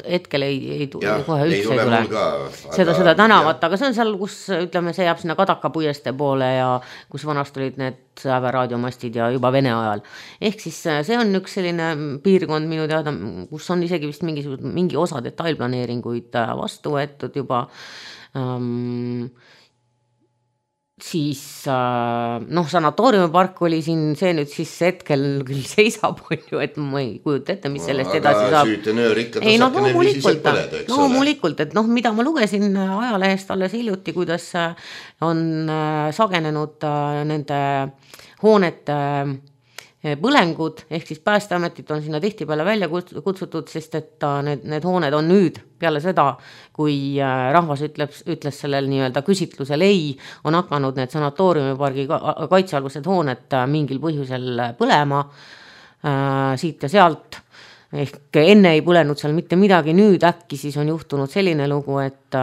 hetkel ei kohe üldse ei tule seda tänavat, aga see on seal, kus ütleme, see jääb sinna Kadaka puieste poole ja kus vanast olid need sõjaväe raadiomastid ja juba Vene ajal. Ehk siis see on üks selline piirkond minu teada, kus on isegi vist mingi osa detailplaneeringuid vastu võetud juba. Siis sanatooriumipark oli siin, see nüüd siis hetkel küll seisab, et ma ei kujuta ette, mis sellest edasi saab. Süütenöör ikka tasakene viisiselt põleda, eks ole. Loomulikult, et mida ma lugesin ajalehest alles hiljuti, kuidas on sagenenud nende hoonete põlengud, ehk siis Päästeametit on sinna tihtipeale välja kutsutud, sest et need hooned on nüüd peale seda, kui rahvas ütles sellel nii-öelda küsitlusel ei, on hakanud need sanatooriumipargi kaitsealused hooned mingil põhjusel põlema siit ja sealt. Ehk enne ei põlenud seal mitte midagi, nüüd äkki siis on juhtunud selline lugu, et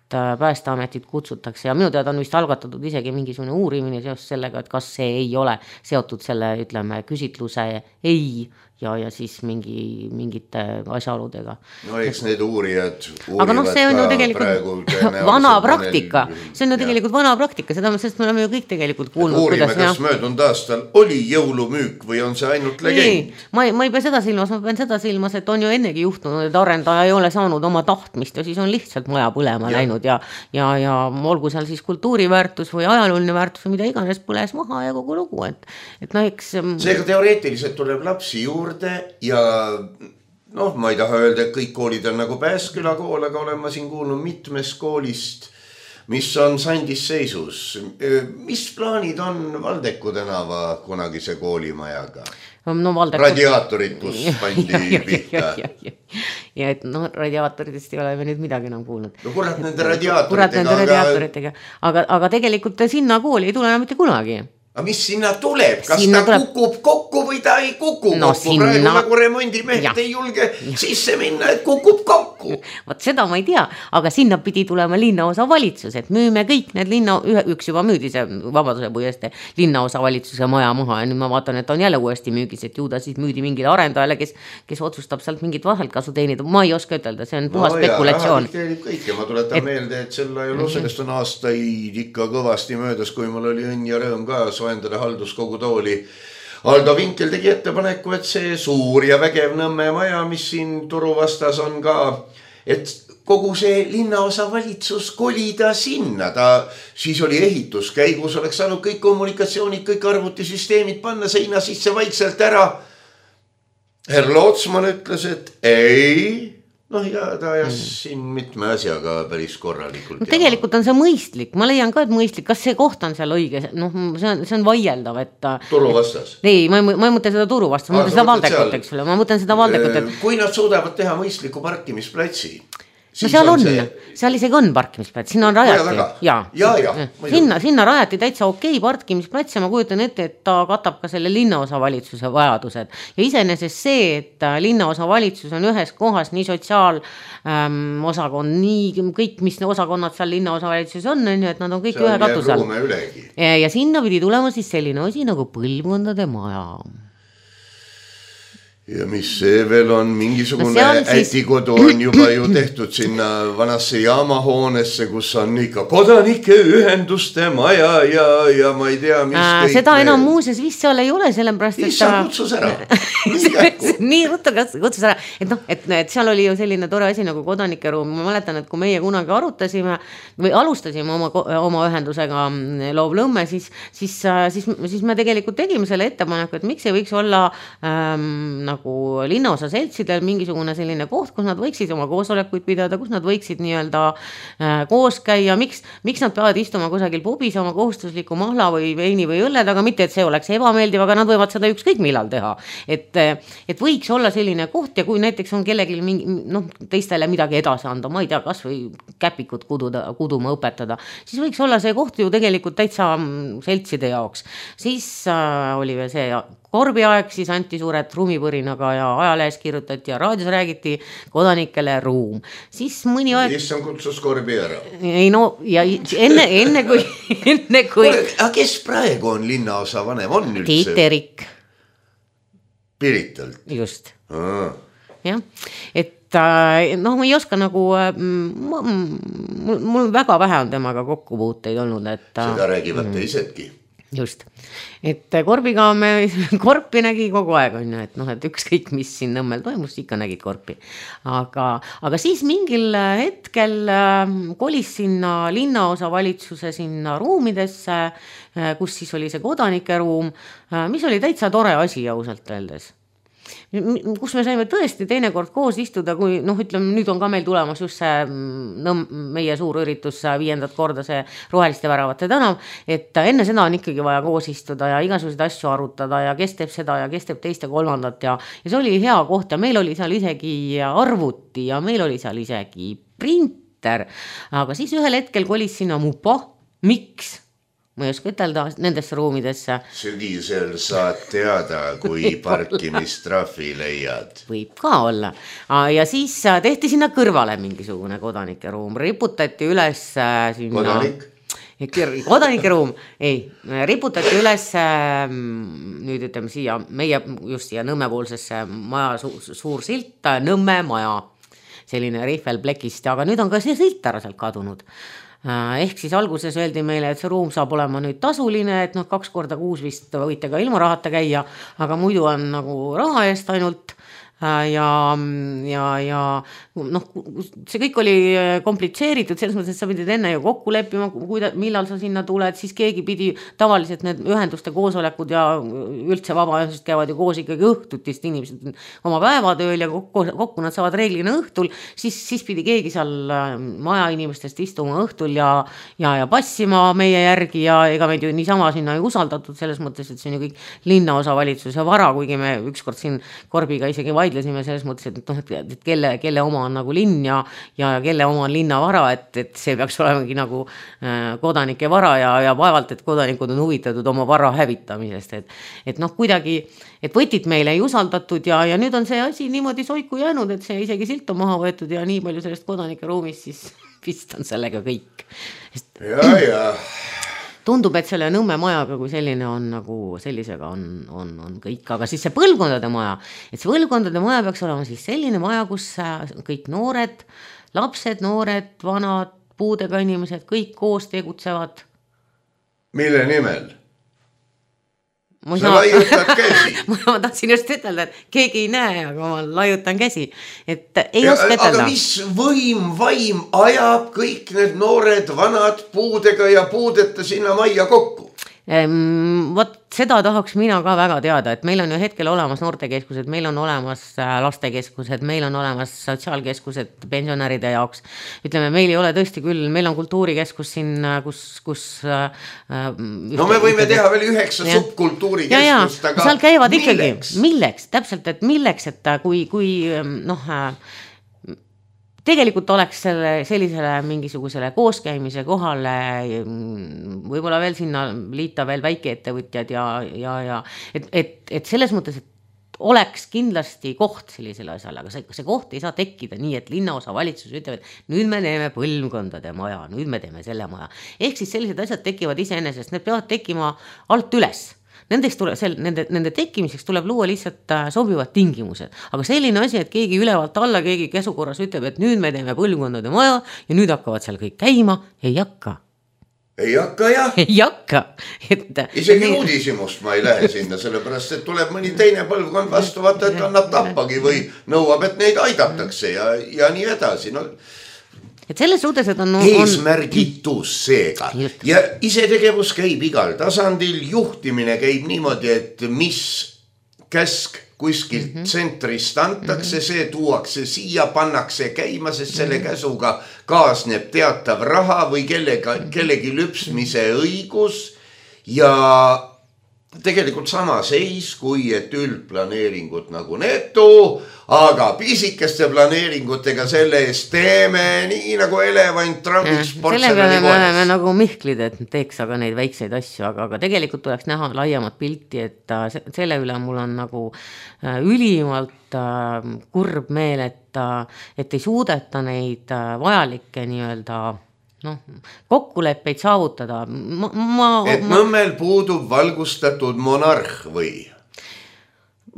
Päästeametit kutsutakse ja minu teada on vist algatatud isegi mingisugune uurimine seoses sellega, et kas see ei ole seotud selle, ütleme, küsitluse ei ja siis mingite asjaoludega. No eks need uurijad aga see on ju tegelikult vana praktika, see on ju tegelikult vana praktika, seda sest me oleme ju kõik tegelikult kuulnud. Uurime, kas möödunud aastal oli jõulumüük või on see ainult legend? Ma ei pea seda silmas, ma pean seda silmas, et on ju ennegi juhtunud, et arendaja ei ole saanud oma tahtmist ja siis on lihtsalt maja põlema läinud ja olgu seal siis kultuuriväärtus või ajalooline väärtus või mida iganes põles maha ja kogu lugu, et no eks seega teoreetiliselt tuleb lapsi juurde ja ma ei taha öelda, et kõik koolid on nagu Pääsküla kool, aga olen ma siin kuulnud mitmest koolist, mis on sandis seisus. Mis plaanid on Valdeku tänava kunagise koolimajaga? No, radiaatorid, kus pandi pihta. Ja et radiaatoritest ei ole me nüüd midagi enam kuulnud. No kurat nende radiaatoritega. Aga tegelikult sinna kooli ei tule enam mitte kunagi. Aga mis sinna tuleb? Kas ta kukub kokku või ta ei kuku kokku? Praegu nagu remondimehed ei julge sisse minna, et kukub kokku. Vot seda ma ei tea, aga sinna pidi tulema linnaosa valitsus, et müüme kõik need üks juba müüdi see Vabaduse puiestee linnaosa valitsuse maja maha ja nüüd ma vaatan, et on jälle uuesti müügis, et ju ta siis müüdi mingile arendajale, kes otsustab sealt mingit vaheltkasu teenida. Ma ei oska ütelda, see on puhas spekulatsioon. Ma tuletan meelde, et selle sellest on aastaid ikka kõvasti möödas, kui mul oli õnn ja rõõm ka soendada halduskogu tooli. Aldo Vinkel tegi ettepaneku, et see suur ja vägev Nõmme maja, mis siin turu vastas on ka, et kogu see linnaosa valitsus kolida sinna. Siis oli ehituskäigus, oleks saanud kõik kommunikatsioonid, kõik arvutisüsteemid panna seina sisse vaikselt ära. Herr Lootsman ütles, et ei. Ja ta ajas siin mitme asjaga päris korralikult. Tegelikult on see mõistlik, ma leian ka, et mõistlik, kas see koht on seal õige, see on vaieldav, et turu vastas? Ei, ma ei mõtle seda turu vastas, ma mõtlen seda Valdekut, eks ole, ma mõtlen seda Valdekut, et kui nad suudavad teha mõistliku parkimisplatsi, no seal isegi on parkimisplats, sinna on rajati sinna rajati täitsa okei parkimisplats ja ma kujutan ette, et ta katab ka selle linnaosa valitsuse vajadused ja iseenesest see, et linnaosa valitsus on ühes kohas nii sotsiaalosakond, nii kõik, mis osakonnad seal linnaosa valitsuses on, et nad on kõik ühe katusel ja sinna pidi tulema siis selline osi nagu põlvkondade maja. Ja mis see veel on, mingisugune ätikodu on juba ju tehtud sinna vanasse jaamahoonesse, kus on ikka kodanike ühenduste maja ja ma ei tea, mis kõik. Seda enam muuses vist seal ei ole, sellepärast, et Issa kutsus ära. Nii ruttu kutsus ära, et seal oli ju selline tore asi nagu kodanike ruum. Ma mäletan, et kui meie kunagi arutasime või alustasime oma ühendusega Loov Lõmme, siis me tegelikult tegime selle ettepaneku, et miks ei võiks olla nagu linnaosa seltsidel mingisugune selline koht, kus nad võiksid oma koosolekuid pidada, kus nad võiksid nii-öelda koos käia, miks nad peavad istuma kusagil pubis oma kohustusliku mahla või veini või õlled, aga mitte, et see oleks ebameeldiv, aga nad võivad seda ükskõik millal teha. Et võiks olla selline koht ja kui näiteks on kellelgi teistele midagi edasi anda, ma ei tea, kas või käpikut kuduma õpetada, siis võiks olla see koht ju tegelikult täitsa seltside jaoks. Siis oli veel see Korbi aeg, siis anti suured ruumipõrinaga ja ajalehes kirjutati ja raadios räägiti kodanikele ruum. Siis mõni aeg... Issam kutsus Korbi ära. Ei ja enne kui... Aga kes praegu on linnaosa vanem? On üldse? Tiit Erik. Piritalt? Just. Jah, et ma ei oska nagu... Mul väga vähe on temaga kokkupuuteid olnud, et... Seda räägivad teisedki. Just, et Korpi nägi kogu aeg on ju, et ükskõik mis siin Nõmmel toimus, ikka nägid Korpi, aga siis mingil hetkel kolis sinna linnaosa valitsuse sinna ruumidesse, kus siis oli see kodanike ruum, mis oli täitsa tore asi ausalt öeldes. kus me saime tõesti teinekord koos istuda, kui ütleme, nüüd on ka meil tulemas just see meie suur üritus 5. korda see Roheliste väravate tänav, et enne seda on ikkagi vaja koos istuda ja igasuguseid asju arutada ja kes teeb seda ja kes teeb teist ja kolmandat ja see oli hea koht ja meil oli seal isegi arvuti ja meil oli seal isegi printer, aga siis ühel hetkel kolis sinna Mupo, miks? Ma ei oska ütelda nendesse ruumidesse. Sügisel saad teada, kui parkimistrahvi leiad. Võib ka olla. Ja siis tehti sinna kõrvale mingisugune kodanike ruum. Riputati üles sinna... Kodanik? Kodanike ruum. Ei, riputati üles nüüd ütleme siia, meie just siia Nõmmepoolsesse maja suur silt, Nõmme maja. Selline rihvelplekist, aga nüüd on ka see silt ära sealt kadunud. Ehk siis alguses öeldi meile, et see ruum saab olema nüüd tasuline, et 2 korda kuus vist võite ka ilma rahata käia, aga muidu on nagu raha eest ainult ja see kõik oli komplitseeritud, selles mõttes, et sa pidid enne ju kokku leppima, millal sa sinna tuled, siis keegi pidi tavaliselt need ühenduste koosolekud ja üldse vabaühendused käivad ju koos ikkagi õhtutist, inimesed oma päevatööl ja kokku nad saavad reeglina õhtul, siis pidi keegi seal maja inimestest istuma õhtul ja passima meie järgi ja ega meid ju niisama sinna ei usaldatud selles mõttes, et see on ju kõik linnaosavalitsuse vara, kuigi me ükskord siin Korbiga isegi vaidlesime selles mõttes, et kelle oma on nagu linn ja kelle oma on linnavara, et see peaks olemegi nagu kodanike vara ja vaevalt, et kodanikud on huvitatud oma vara hävitamisest, et kuidagi, et võtit meile ei usaldatud ja nüüd on see asi niimoodi soiku jäänud, et see isegi silt on maha võetud ja nii palju sellest kodanike ruumist, siis vist on sellega kõik. Ja. Tundub, et selle Nõmme majaga kui selline on nagu sellisega on kõik, aga siis see põlvkondade maja, et see põlvkondade maja peaks olema siis selline maja, kus kõik noored, lapsed, noored, vanad, puudega inimesed, kõik koos tegutsevad. Mille nimel? Sa laiutad käsi. Ma tahtsin just ütelda, et keegi ei näe, aga ma laiutan käsi. Et ei oska ütelda. Aga mis vaim ajab kõik need noored, vanad, puudega ja puudeta sinna majja kokku? Vot seda tahaks mina ka väga teada, et meil on ju hetkel olemas noortekeskused, meil on olemas lastekeskused, meil on olemas sotsiaalkeskused pensionäride jaoks. Ütleme, meil ei ole tõesti küll, meil on kultuurikeskus siin, kus no me võime teha veel 9 subkultuurikeskust, aga seal käivad ikkagi, milleks? Täpselt, et milleks, et kui tegelikult oleks sellisele mingisugusele kooskäimise kohale võib-olla veel sinna liita veel väikeettevõtjad ja et selles mõttes, et oleks kindlasti koht sellisele asjale, aga see koht ei saa tekkida nii, et linnaosa valitsus ütleb, et nüüd me teeme põlvkondade maja, nüüd me teeme selle maja. Ehk siis sellised asjad tekivad iseenesest, need peavad tekkima alt üles. Nende tekkimiseks tuleb luua lihtsalt sobivad tingimused. Aga selline asi, et keegi ülevalt alla, keegi käsukorras ütleb, et nüüd me teeme põlvkondade maja ja nüüd hakkavad seal kõik käima, ei hakka. Ei hakka, jah. Ei hakka. Isegi uudishimust ma ei lähe sinna, sellepärast, et tuleb mõni teine põlvkond vastu vaata, et annab tappagi või nõuab, et neid aidatakse ja nii edasi. Et selles suhtes, et on eesmärgitus seega ja isetegevus käib igal tasandil, juhtimine käib niimoodi, et mis käsk kuskilt tsentrist antakse, see tuuakse siia, pannakse käima, sest selle käsuga kaasneb teatav raha või kellegi lüpsmise õigus ja tegelikult sama seis, kui et üldplaneeringut nagu netu, aga pisikeste planeeringutega selle eest teeme nii nagu elevant trammiks portselani kohes. Sellega me nagu Mihklid, et teeks aga neid väikseid asju, aga tegelikult tuleks näha laiemat pilti, et selle üle mul on nagu ülimalt kurb meel, et ei suudeta neid vajalikke nii-öelda kokkuleppeid saavutada. Et Nõmmel puudub valgustatud monarh või?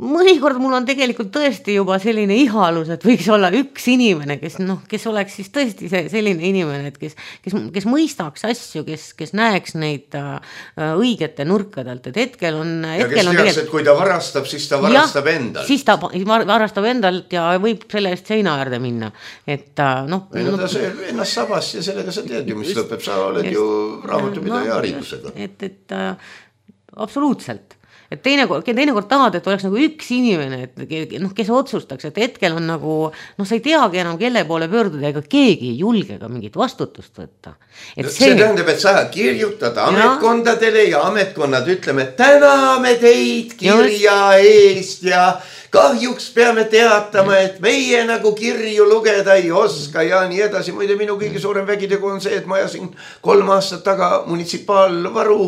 Mõnikord mul on tegelikult tõesti juba selline ihalus, et võiks olla üks inimene, kes oleks siis tõesti selline inimene, et kes mõistaks asju, kes näeks neid õigete nurkadelt, et hetkel on... Ja kes teaks, et kui ta varastab, siis ta varastab endalt. Siis ta varastab endalt ja võib selle eest seina äärde minna. Ta sööb ennast sabast ja sellega sa teed ju, mis lõpeb, sa oled ju raamatupidaja haridusega. Absoluutselt. et teinekord tahad, et oleks nagu üks inimene, et noh, kes otsustaks, et hetkel on nagu, noh, sa ei teagi enam, kelle poole pöörduda, ega keegi ei julge ka mingit vastutust võtta. See tähendab, et sa kirjutad ametkondadele ja ametkonnad ütleme, täname teid kirja eest ja kahjuks peame teatama, et meie nagu kirju lugeda ei oska ja nii edasi. Muide, minu kõige suurem vägitegu on see, et ma ajasin 3 aastat taga munitsipaalvaru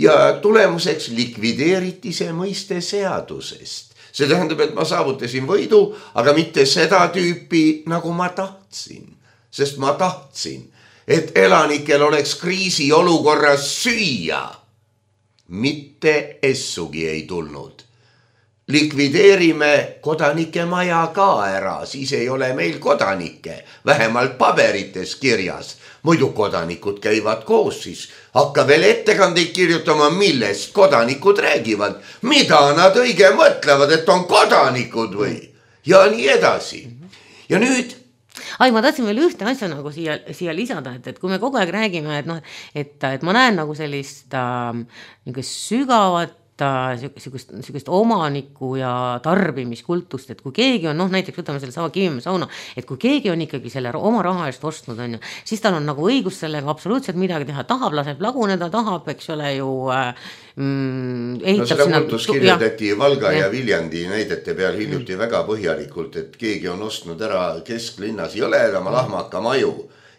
ja tulemuseks likvideeriti see mõiste seadusest. See tähendab, et ma saavutasin võidu, aga mitte seda tüüpi, nagu ma tahtsin. Sest ma tahtsin, et elanikel oleks kriisiolukorras süüa. Mitte essugi ei tulnud. Likvideerime kodanike maja ka ära, siis ei ole meil kodanikke, vähemalt paberites kirjas. Muidu kodanikud käivad koos, siis hakka veel ettekandeid kirjutama, millest kodanikud räägivad, mida nad õige mõtlevad, et on kodanikud või ja nii edasi. Ja nüüd ma tahtsin veel ühte asja nagu siia lisada, et kui me kogu aeg räägime, et noh, et ma näen nagu sellist sügavat sugust omaniku ja tarbimiskultust, et kui keegi on, noh näiteks võtame selle sama Kivimäe sauna, et kui keegi on ikkagi selle oma raha eest ostnud, on ju, siis tal on nagu õigus sellega absoluutselt midagi teha, tahab, laseb laguneda, tahab, eks ole ju seda kultus kirjutati Valga ja Viljandi näidete peal hiljuti väga põhjalikult, et keegi on ostnud ära kesklinnas jõledama lahmaka maju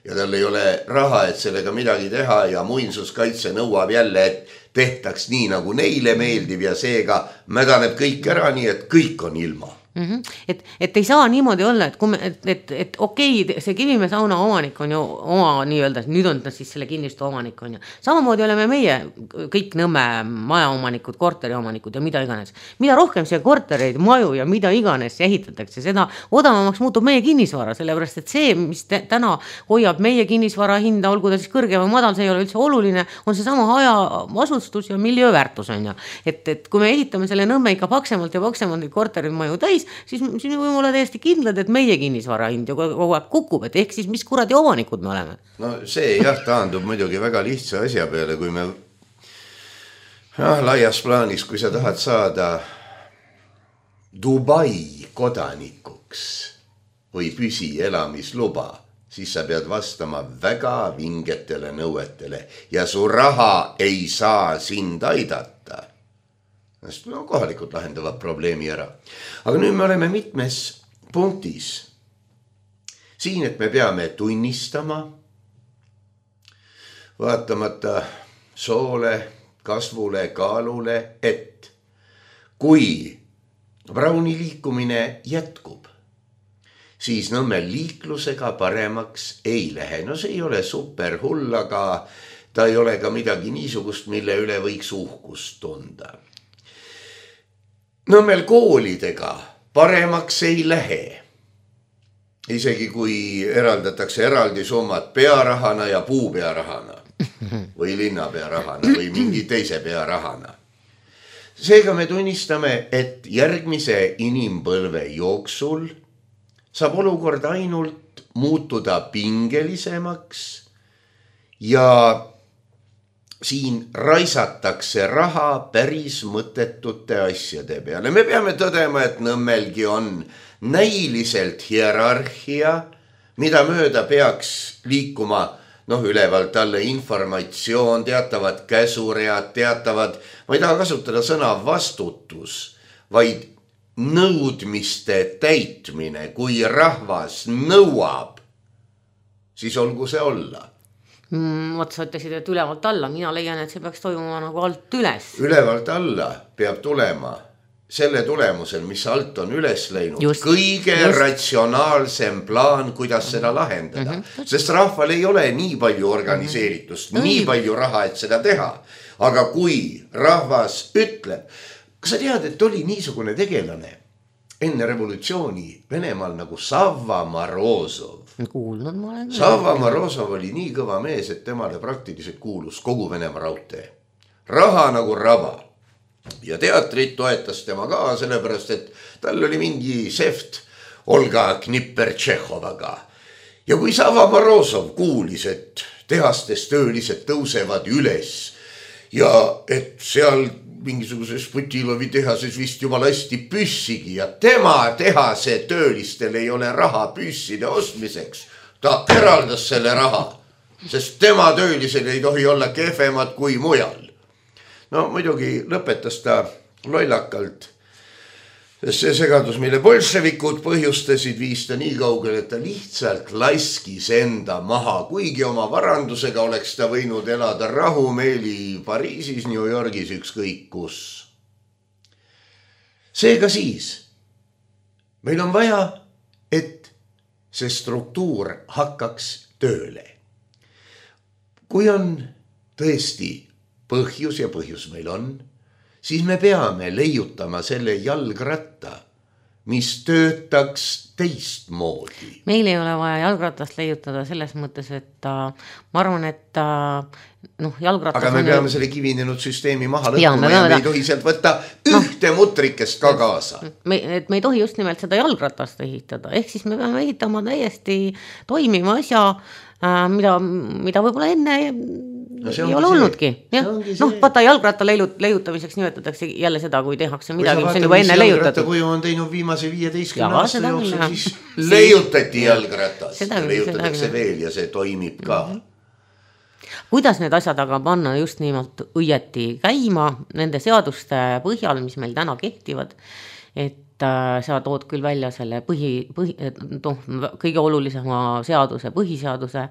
ja tal ei ole raha, et sellega midagi teha ja muinsuskaitse nõuab jälle, et tehtaks nii, nagu neile meeldib ja seega mädaneb kõik ära, nii et kõik on ilma. Et ei saa niimoodi olla, et okei, see Kivimäe sauna omanik on ju oma nii-öelda, nüüd on ta siis selle kinnistu omanik on ju. Samamoodi oleme meie kõik Nõmme majaomanikud, korteriomanikud ja mida iganes. Mida rohkem see kortereid, maju ja mida iganes ehitatakse, seda odavamaks muutub meie kinnisvara, sellepärast et see, mis täna hoiab meie kinnisvara hinda, olgu ta siis kõrge või madal, see ei ole üldse oluline, on see sama hajaasustus ja miljööväärtus on ju. Et kui me ehitame selle Nõmme ikka paksemalt ja paksemalt korterid maju täis, siis me võime olla täiesti kindlad, et meie kinnisvara hind ju kogu aeg kukub, et ehk siis mis kuradi omanikud me oleme. No see jah taandub muidugi väga lihtsa asja peale, kui me laias plaanis, kui sa tahad saada Dubai kodanikuks või püsielamisluba, siis sa pead vastama väga vingetele nõuetele ja su raha ei saa sind aidata. No, kohalikud lahendavad probleemi ära. Aga nüüd me oleme mitmes punktis. Siin, et me peame tunnistama, vaatamata soole, kasvule, kaalule, et kui Brauni liikumine jätkub, siis Nõmmel liiklusega paremaks ei lähe. No see ei ole super hull, aga ta ei ole ka midagi niisugust, mille üle võiks uhkust tunda. Nõmmel koolidega paremaks ei lähe. Isegi kui eraldatakse eraldi summad pearahana ja puupearahana või linnapearahana või mingi teise pearahana. Seega me tunnistame, et järgmise inimpõlve jooksul saab olukord ainult muutuda pingelisemaks ja siin raisatakse raha päris mõttetute asjade peale. Me peame tõdema, et Nõmmelgi on näiliselt hierarhia, mida mööda peaks liikuma ülevalt alla informatsioon, teatavad käsuread, teatavad, ma ei taha kasutada sõna vastutus, vaid nõudmiste täitmine. Kui rahvas nõuab, siis olgu see olla. Sa ütlesid, et ülevalt alla, mina leian, et see peaks toimuma nagu alt üles. Ülevalt alla peab tulema selle tulemusel, mis alt on üles läinud, kõige ratsionaalsem plaan, kuidas seda lahendada. Sest rahval ei ole nii palju organiseeritust, nii palju raha, et seda teha. Aga kui rahvas ütleb, kas sa tead, et oli niisugune tegelane enne revolutsiooni Venemaal nagu Savva Morozov? Kuulnud ma olen. Savva Morozov oli nii kõva mees, et temale praktiliselt kuulus kogu Venemaa raudtee. Raha nagu raba. Ja teatrit toetas tema ka, sellepärast, et tal oli mingi seft Olga Knipper-Tšehhovaga. Ja kui Savva Morozov kuulis, et tehastes töölised tõusevad üles ja et seal mingisuguses Putilovi tehases vist juba lasti püssigi ja tema tehase töölistel ei ole raha püsside ostmiseks. Ta eraldas selle raha, sest tema töölisel ei tohi olla kehvemad kui mujal. No muidugi lõpetas ta lollakalt, sest see segadus, mille bolševikud põhjustasid, viis ta nii kaugel, et ta lihtsalt laskis enda maha, kuigi oma varandusega oleks ta võinud elada rahumeeli Pariisis, New Yorgis, ükskõik kus. Seega siis, meil on vaja, et see struktuur hakkaks tööle. Kui on tõesti põhjus ja põhjus meil on, siis me peame leiutama selle jalgratta, mis töötaks teistmoodi. Meil ei ole vaja jalgratast leiutada selles mõttes, et ma arvan, et jalgratas... Aga me peame selle kivinenud süsteemi maha lõhkuma ja me ei tohi sealt võtta ühte mutrikest ka kaasa. Me ei tohi just nimelt seda jalgratast ehitada, ehk siis me peame ehitama täiesti toimiva asja, mida võib-olla enne ei ole olnudki. Vaata jalgratta leiutamiseks nimetatakse jälle seda, kui tehakse midagi, mis on juba enne leiutatud. Kui on teinud viimase 15 aasta jooksul, siis leiutati jalgratas. Leiutatakse veel ja see toimib ka. Kuidas need asjad aga panna just nimelt õieti käima nende seaduste põhjal, mis meil täna kehtivad, et sa tood küll välja selle kõige olulisema seaduse, põhiseaduse.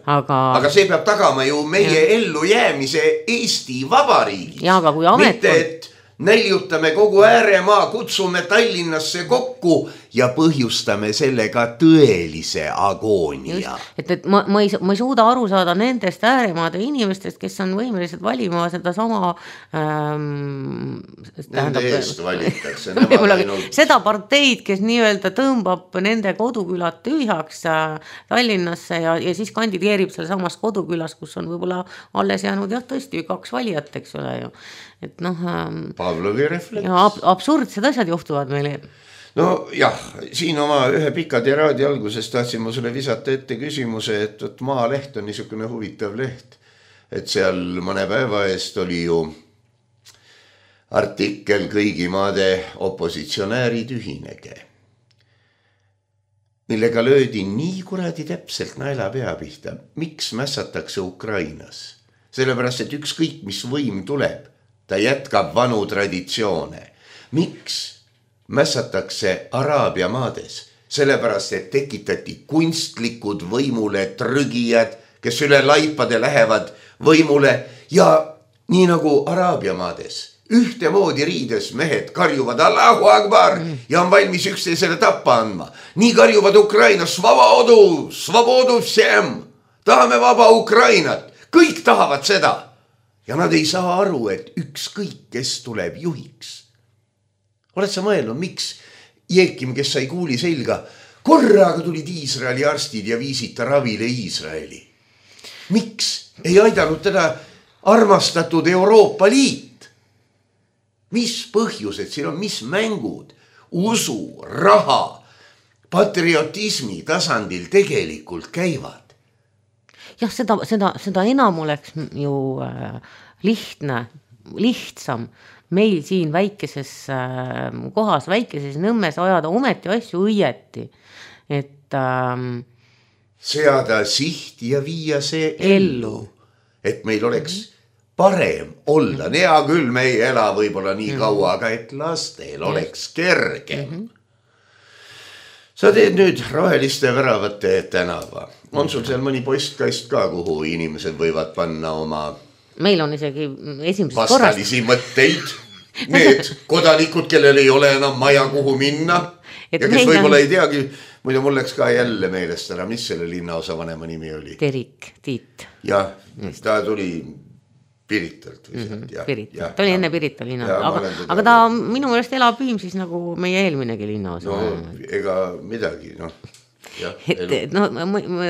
Aga see peab tagama ju meie ellu jäämise Eesti Vabariigis. Mitte, et näljutame kogu ääremaa, kutsume Tallinnasse kokku ja põhjustame sellega tõelise agoonia. Et ma ei suuda aru saada nendest ääremaade inimestest, kes on võimelised valima seda sama nende eest valitakse. Seda parteid, kes nii-öelda tõmbab nende kodukülad tühjaks Tallinnasse ja siis kandideerib seal samas kodukülas, kus on võib-olla alles jäänud tõesti 2 valijat, eks ole ju. Et Pavlovi refleks. Absurdsed asjad juhtuvad meile. No jah, siin oma ühe pika tiraadi alguses tahtsin ma sulle visata ette küsimuse, et Maaleht on niisugune huvitav leht, et seal mõne päeva eest oli ju artikkel kõigi maade opositsionäärid ühinege, millega löödi nii kuradi täpselt naela pea pihta, miks mässatakse Ukrainas. Sellepärast, et ükskõik mis võim tuleb, ta jätkab vanu traditsioone. Miks mässatakse Araabia maades? Sellepärast, et tekitati kunstlikud võimule trügijad, kes üle laipade lähevad võimule ja nii nagu Araabia maades ühtemoodi riides mehed karjuvad Allahu Akbar ja on valmis üksteisele tappa andma. Nii karjuvad Ukrainas Svobodu всем. Tahame vaba Ukrainat. Kõik tahavad seda. Ja nad ei saa aru, et ükskõik, kes tuleb juhiks. Oled sa mõelnud, miks Jeekim, kes sai kuuli selga, korraga tulid Iisraeli arstid ja viisid ta ravile Iisraeli? Miks ei aidanud teda armastatud Euroopa Liit? Mis põhjused siin on, mis mängud, usu, raha, patriotismi tasandil tegelikult käivad? Jah, seda enam oleks ju lihtsam meil siin väikeses kohas, väikeses Nõmmes ajada ometi asju õieti, et seada siht ja viia see ellu, et meil oleks parem olla. Hea küll, me ei ela võib-olla nii kaua, aga et lastel oleks kergem. Sa teed nüüd Roheliste väravate tänava. On sul seal mõni postkast ka, kuhu inimesed võivad panna oma meil on isegi esimesest vastalisi mõtteid? Need kodanikud, kellel ei ole enam maja kuhu minna ja kes võib-olla ei teagi, muidu mul läks ka jälle meelest ära, mis selle linnaosa vanema nimi oli? Tiit. Jah, ta tuli Piritalt. Ta oli enne Pirita linna, aga ta minu meelest elab Viimsis nagu meie eelminegi linnaosa. No ega midagi, ma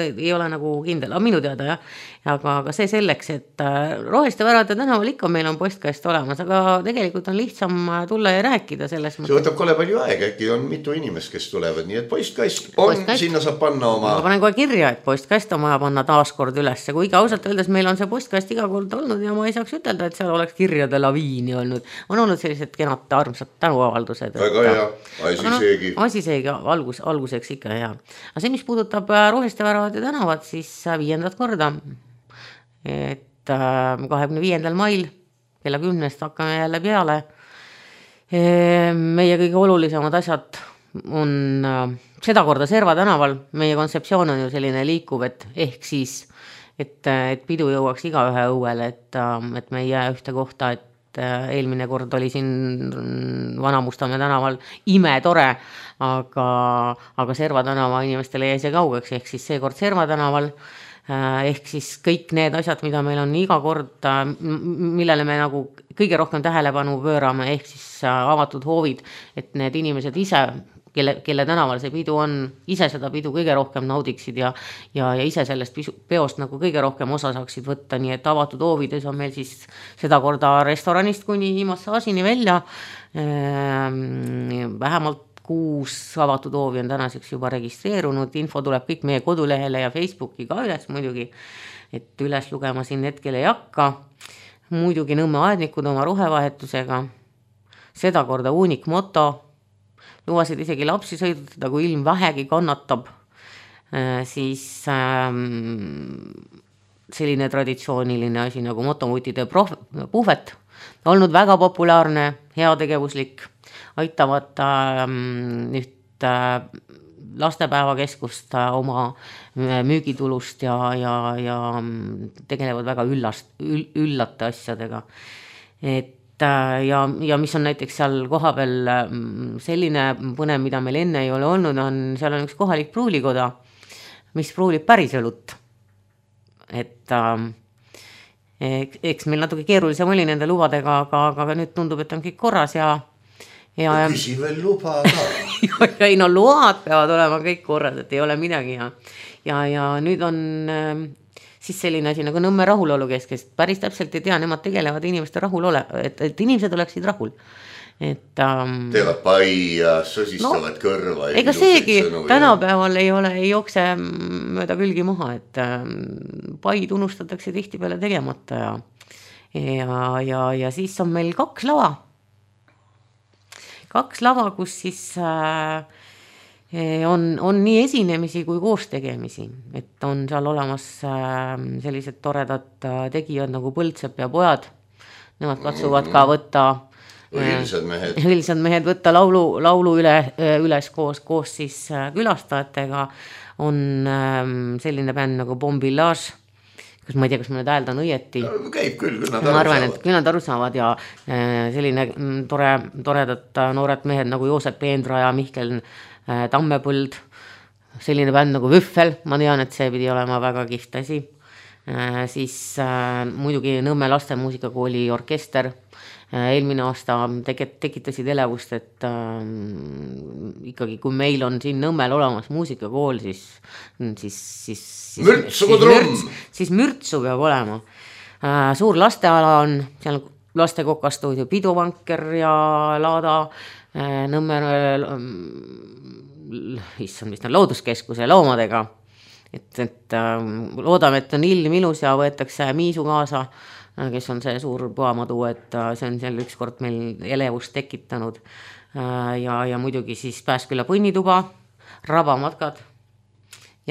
ei ole nagu kindel, aga minu teada jah, aga see selleks, et Roheliste värade tänaval ikka meil on postkast olemas, aga tegelikult on lihtsam tulla ja rääkida selles mõttes. See võtab kole palju aega, äkki on mitu inimest, kes tulevad, nii et postkast on, sinna saab panna oma... Ma panen kohe kirja, et postkast on vaja panna taaskord üles, kuigi ausalt öeldes meil on see postkast iga kord olnud ja ma ei saaks ütelda, et seal oleks kirjade laviini olnud. On olnud sellised kenad armsad tänuavaldused. Väga hea, asi seegi alguseks ikka hea. Aga see, mis puudutab Roheliste värade tänavat, siis 5. korda, et 25. mail kella 10 hakkame jälle peale. Meie kõige olulisemad asjad on seda korda Serva tänaval. Meie kontseptsioon on ju selline liikuv, et ehk siis, et pidu jõuaks igaühe õuele, et me ei jää ühte kohta, et eelmine kord oli siin Vana-Mustamäe tänaval imetore, aga Serva tänava inimestele jäi see kaugeks, ehk siis seekord Serva tänaval, ehk siis kõik need asjad, mida meil on iga kord, millele me nagu kõige rohkem tähelepanu pöörame, ehk siis avatud hoovid, et need inimesed ise, kelle tänaval see pidu on, ise seda pidu kõige rohkem naudiksid ja ise sellest peost nagu kõige rohkem osa saaksid võtta, nii et avatud hoovides on meil siis seda korda restoranist kuni massaažini välja. Vähemalt 6 avatud hoovi on tänaseks juba registreerunud, info tuleb kõik meie kodulehele ja Facebooki ka üles muidugi, et üles lugema siin hetkel ei hakka. Muidugi Nõmme aednikud oma rohevahetusega, seda korda uunik moto, lubasid isegi lapsi sõidutada, kui ilm vähegi kannatab, siis selline traditsiooniline asi nagu motomutide puhvet, olnud väga populaarne, heategevuslik, aitavad nüüd lastepäevakeskust oma müügitulust ja tegelevad väga üllate asjadega. Et ja mis on näiteks seal koha peal selline põnev, mida meil enne ei ole olnud, seal on üks kohalik pruulikoda, mis pruulib päris õlut. Et eks meil natuke keerulisem oli nende lubadega, aga nüüd tundub, et on kõik korras ja küsi veel luba ka. Ei no load peavad olema kõik korras, et ei ole midagi ja nüüd on siis selline asi nagu Nõmme rahulolu kes päris täpselt ei tea, nemad tegelevad inimeste et inimesed oleksid rahul. Teevad pai ja sõsistavad kõrva. Ega seegi tänapäeval ei jookse mööda külgi maha, et pai tunnustatakse tihtipeale tegemata ja siis on meil 2 lava. 2 lava, kus siis on nii esinemisi kui koos tegemisi, et on seal olemas sellised toredad tegijad nagu Põldsepp ja pojad, nemad katsuvad ka võtta õilsad mehed võtta laulu üles koos siis külastajatega, on selline bänd nagu Bombillage, kas ma ei tea, kas ma nüüd hääldan õieti. Käib küll nad aru saavad. Et küll nad aru saavad ja selline toredad noored mehed nagu Joosep Peendra ja Mihkel Tammepõld, selline bänd nagu Vüffel, ma tean, et see pidi olema väga kihvt asi. Siis muidugi Nõmme lastemuusikakooli orkester, eelmine aasta tekitasid elevust, et ikkagi kui meil on siin Nõmmel olemas muusikakool, siis mürtsu peab olema. Suur lasteala on, seal lastekokastuudio Piduvanker ja Laada, Nõmme looduskeskuse loomadega, et loodame, et on ilm ilus ja võetakse Miisu kaasa, kes on see suur puamadu, et see on seal ükskord meil elevust tekitanud ja muidugi siis Pääsküla põnnituba, rabamatkad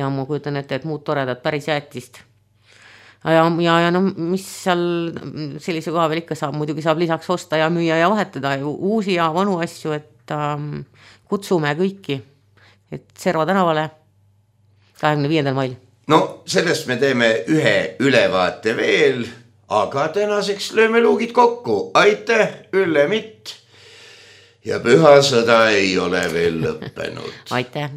ja ma kujutan ette, et muud toredad päris jäätist ja no mis seal sellise koha veel ikka saab, muidugi saab lisaks osta ja müüa ja vahetada uusi ja vanu asju, et kutsume kõiki, et Serva tänavale 25. mail. No sellest me teeme ühe ülevaate veel, aga tänaseks lööme luugid kokku. Aitäh, Ülle Mitt! Ja pühasõda ei ole veel lõppenud. Aitäh!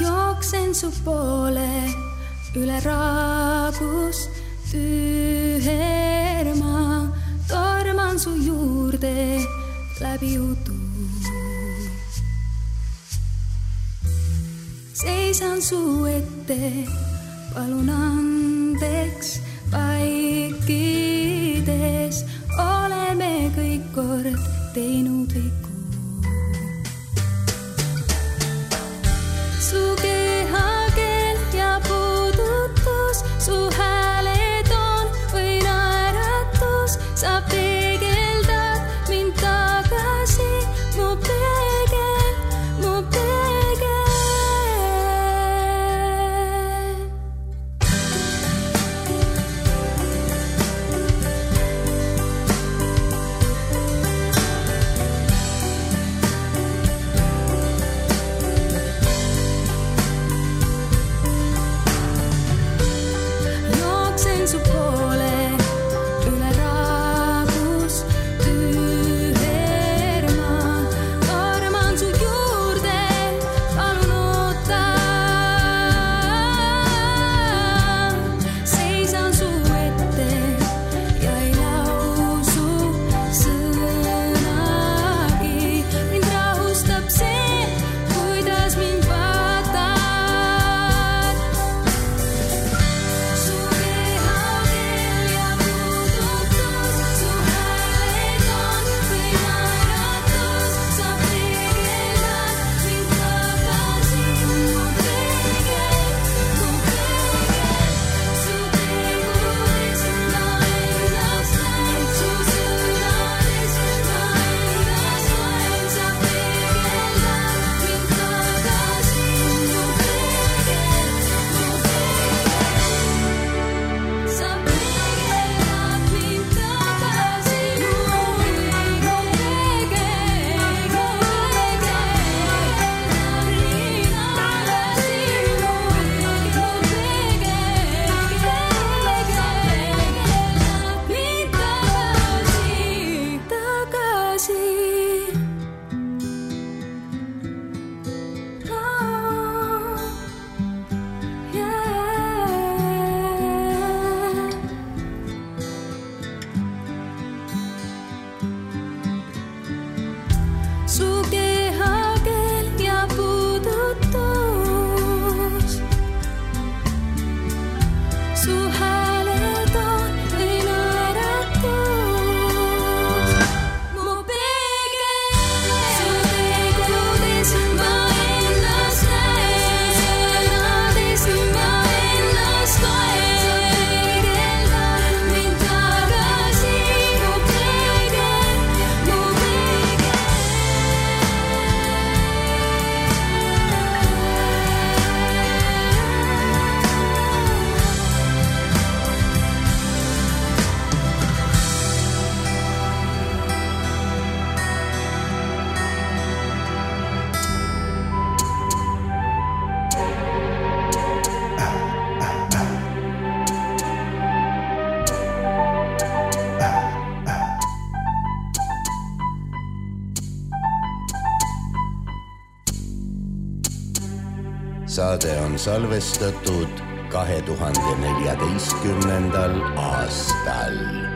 Jooksen su poole, üle raagus tüherma, torman su juurde läbi udu. Seisan su ette, palun andeks vaikides, oleme kõik kord teinud vigu. Su kehakeel ja puudutus, su hääletoon või naeratus, saab peegeldad mind tagasi, mu peegel, mu peegel. Saade on salvestatud 2014. aastal.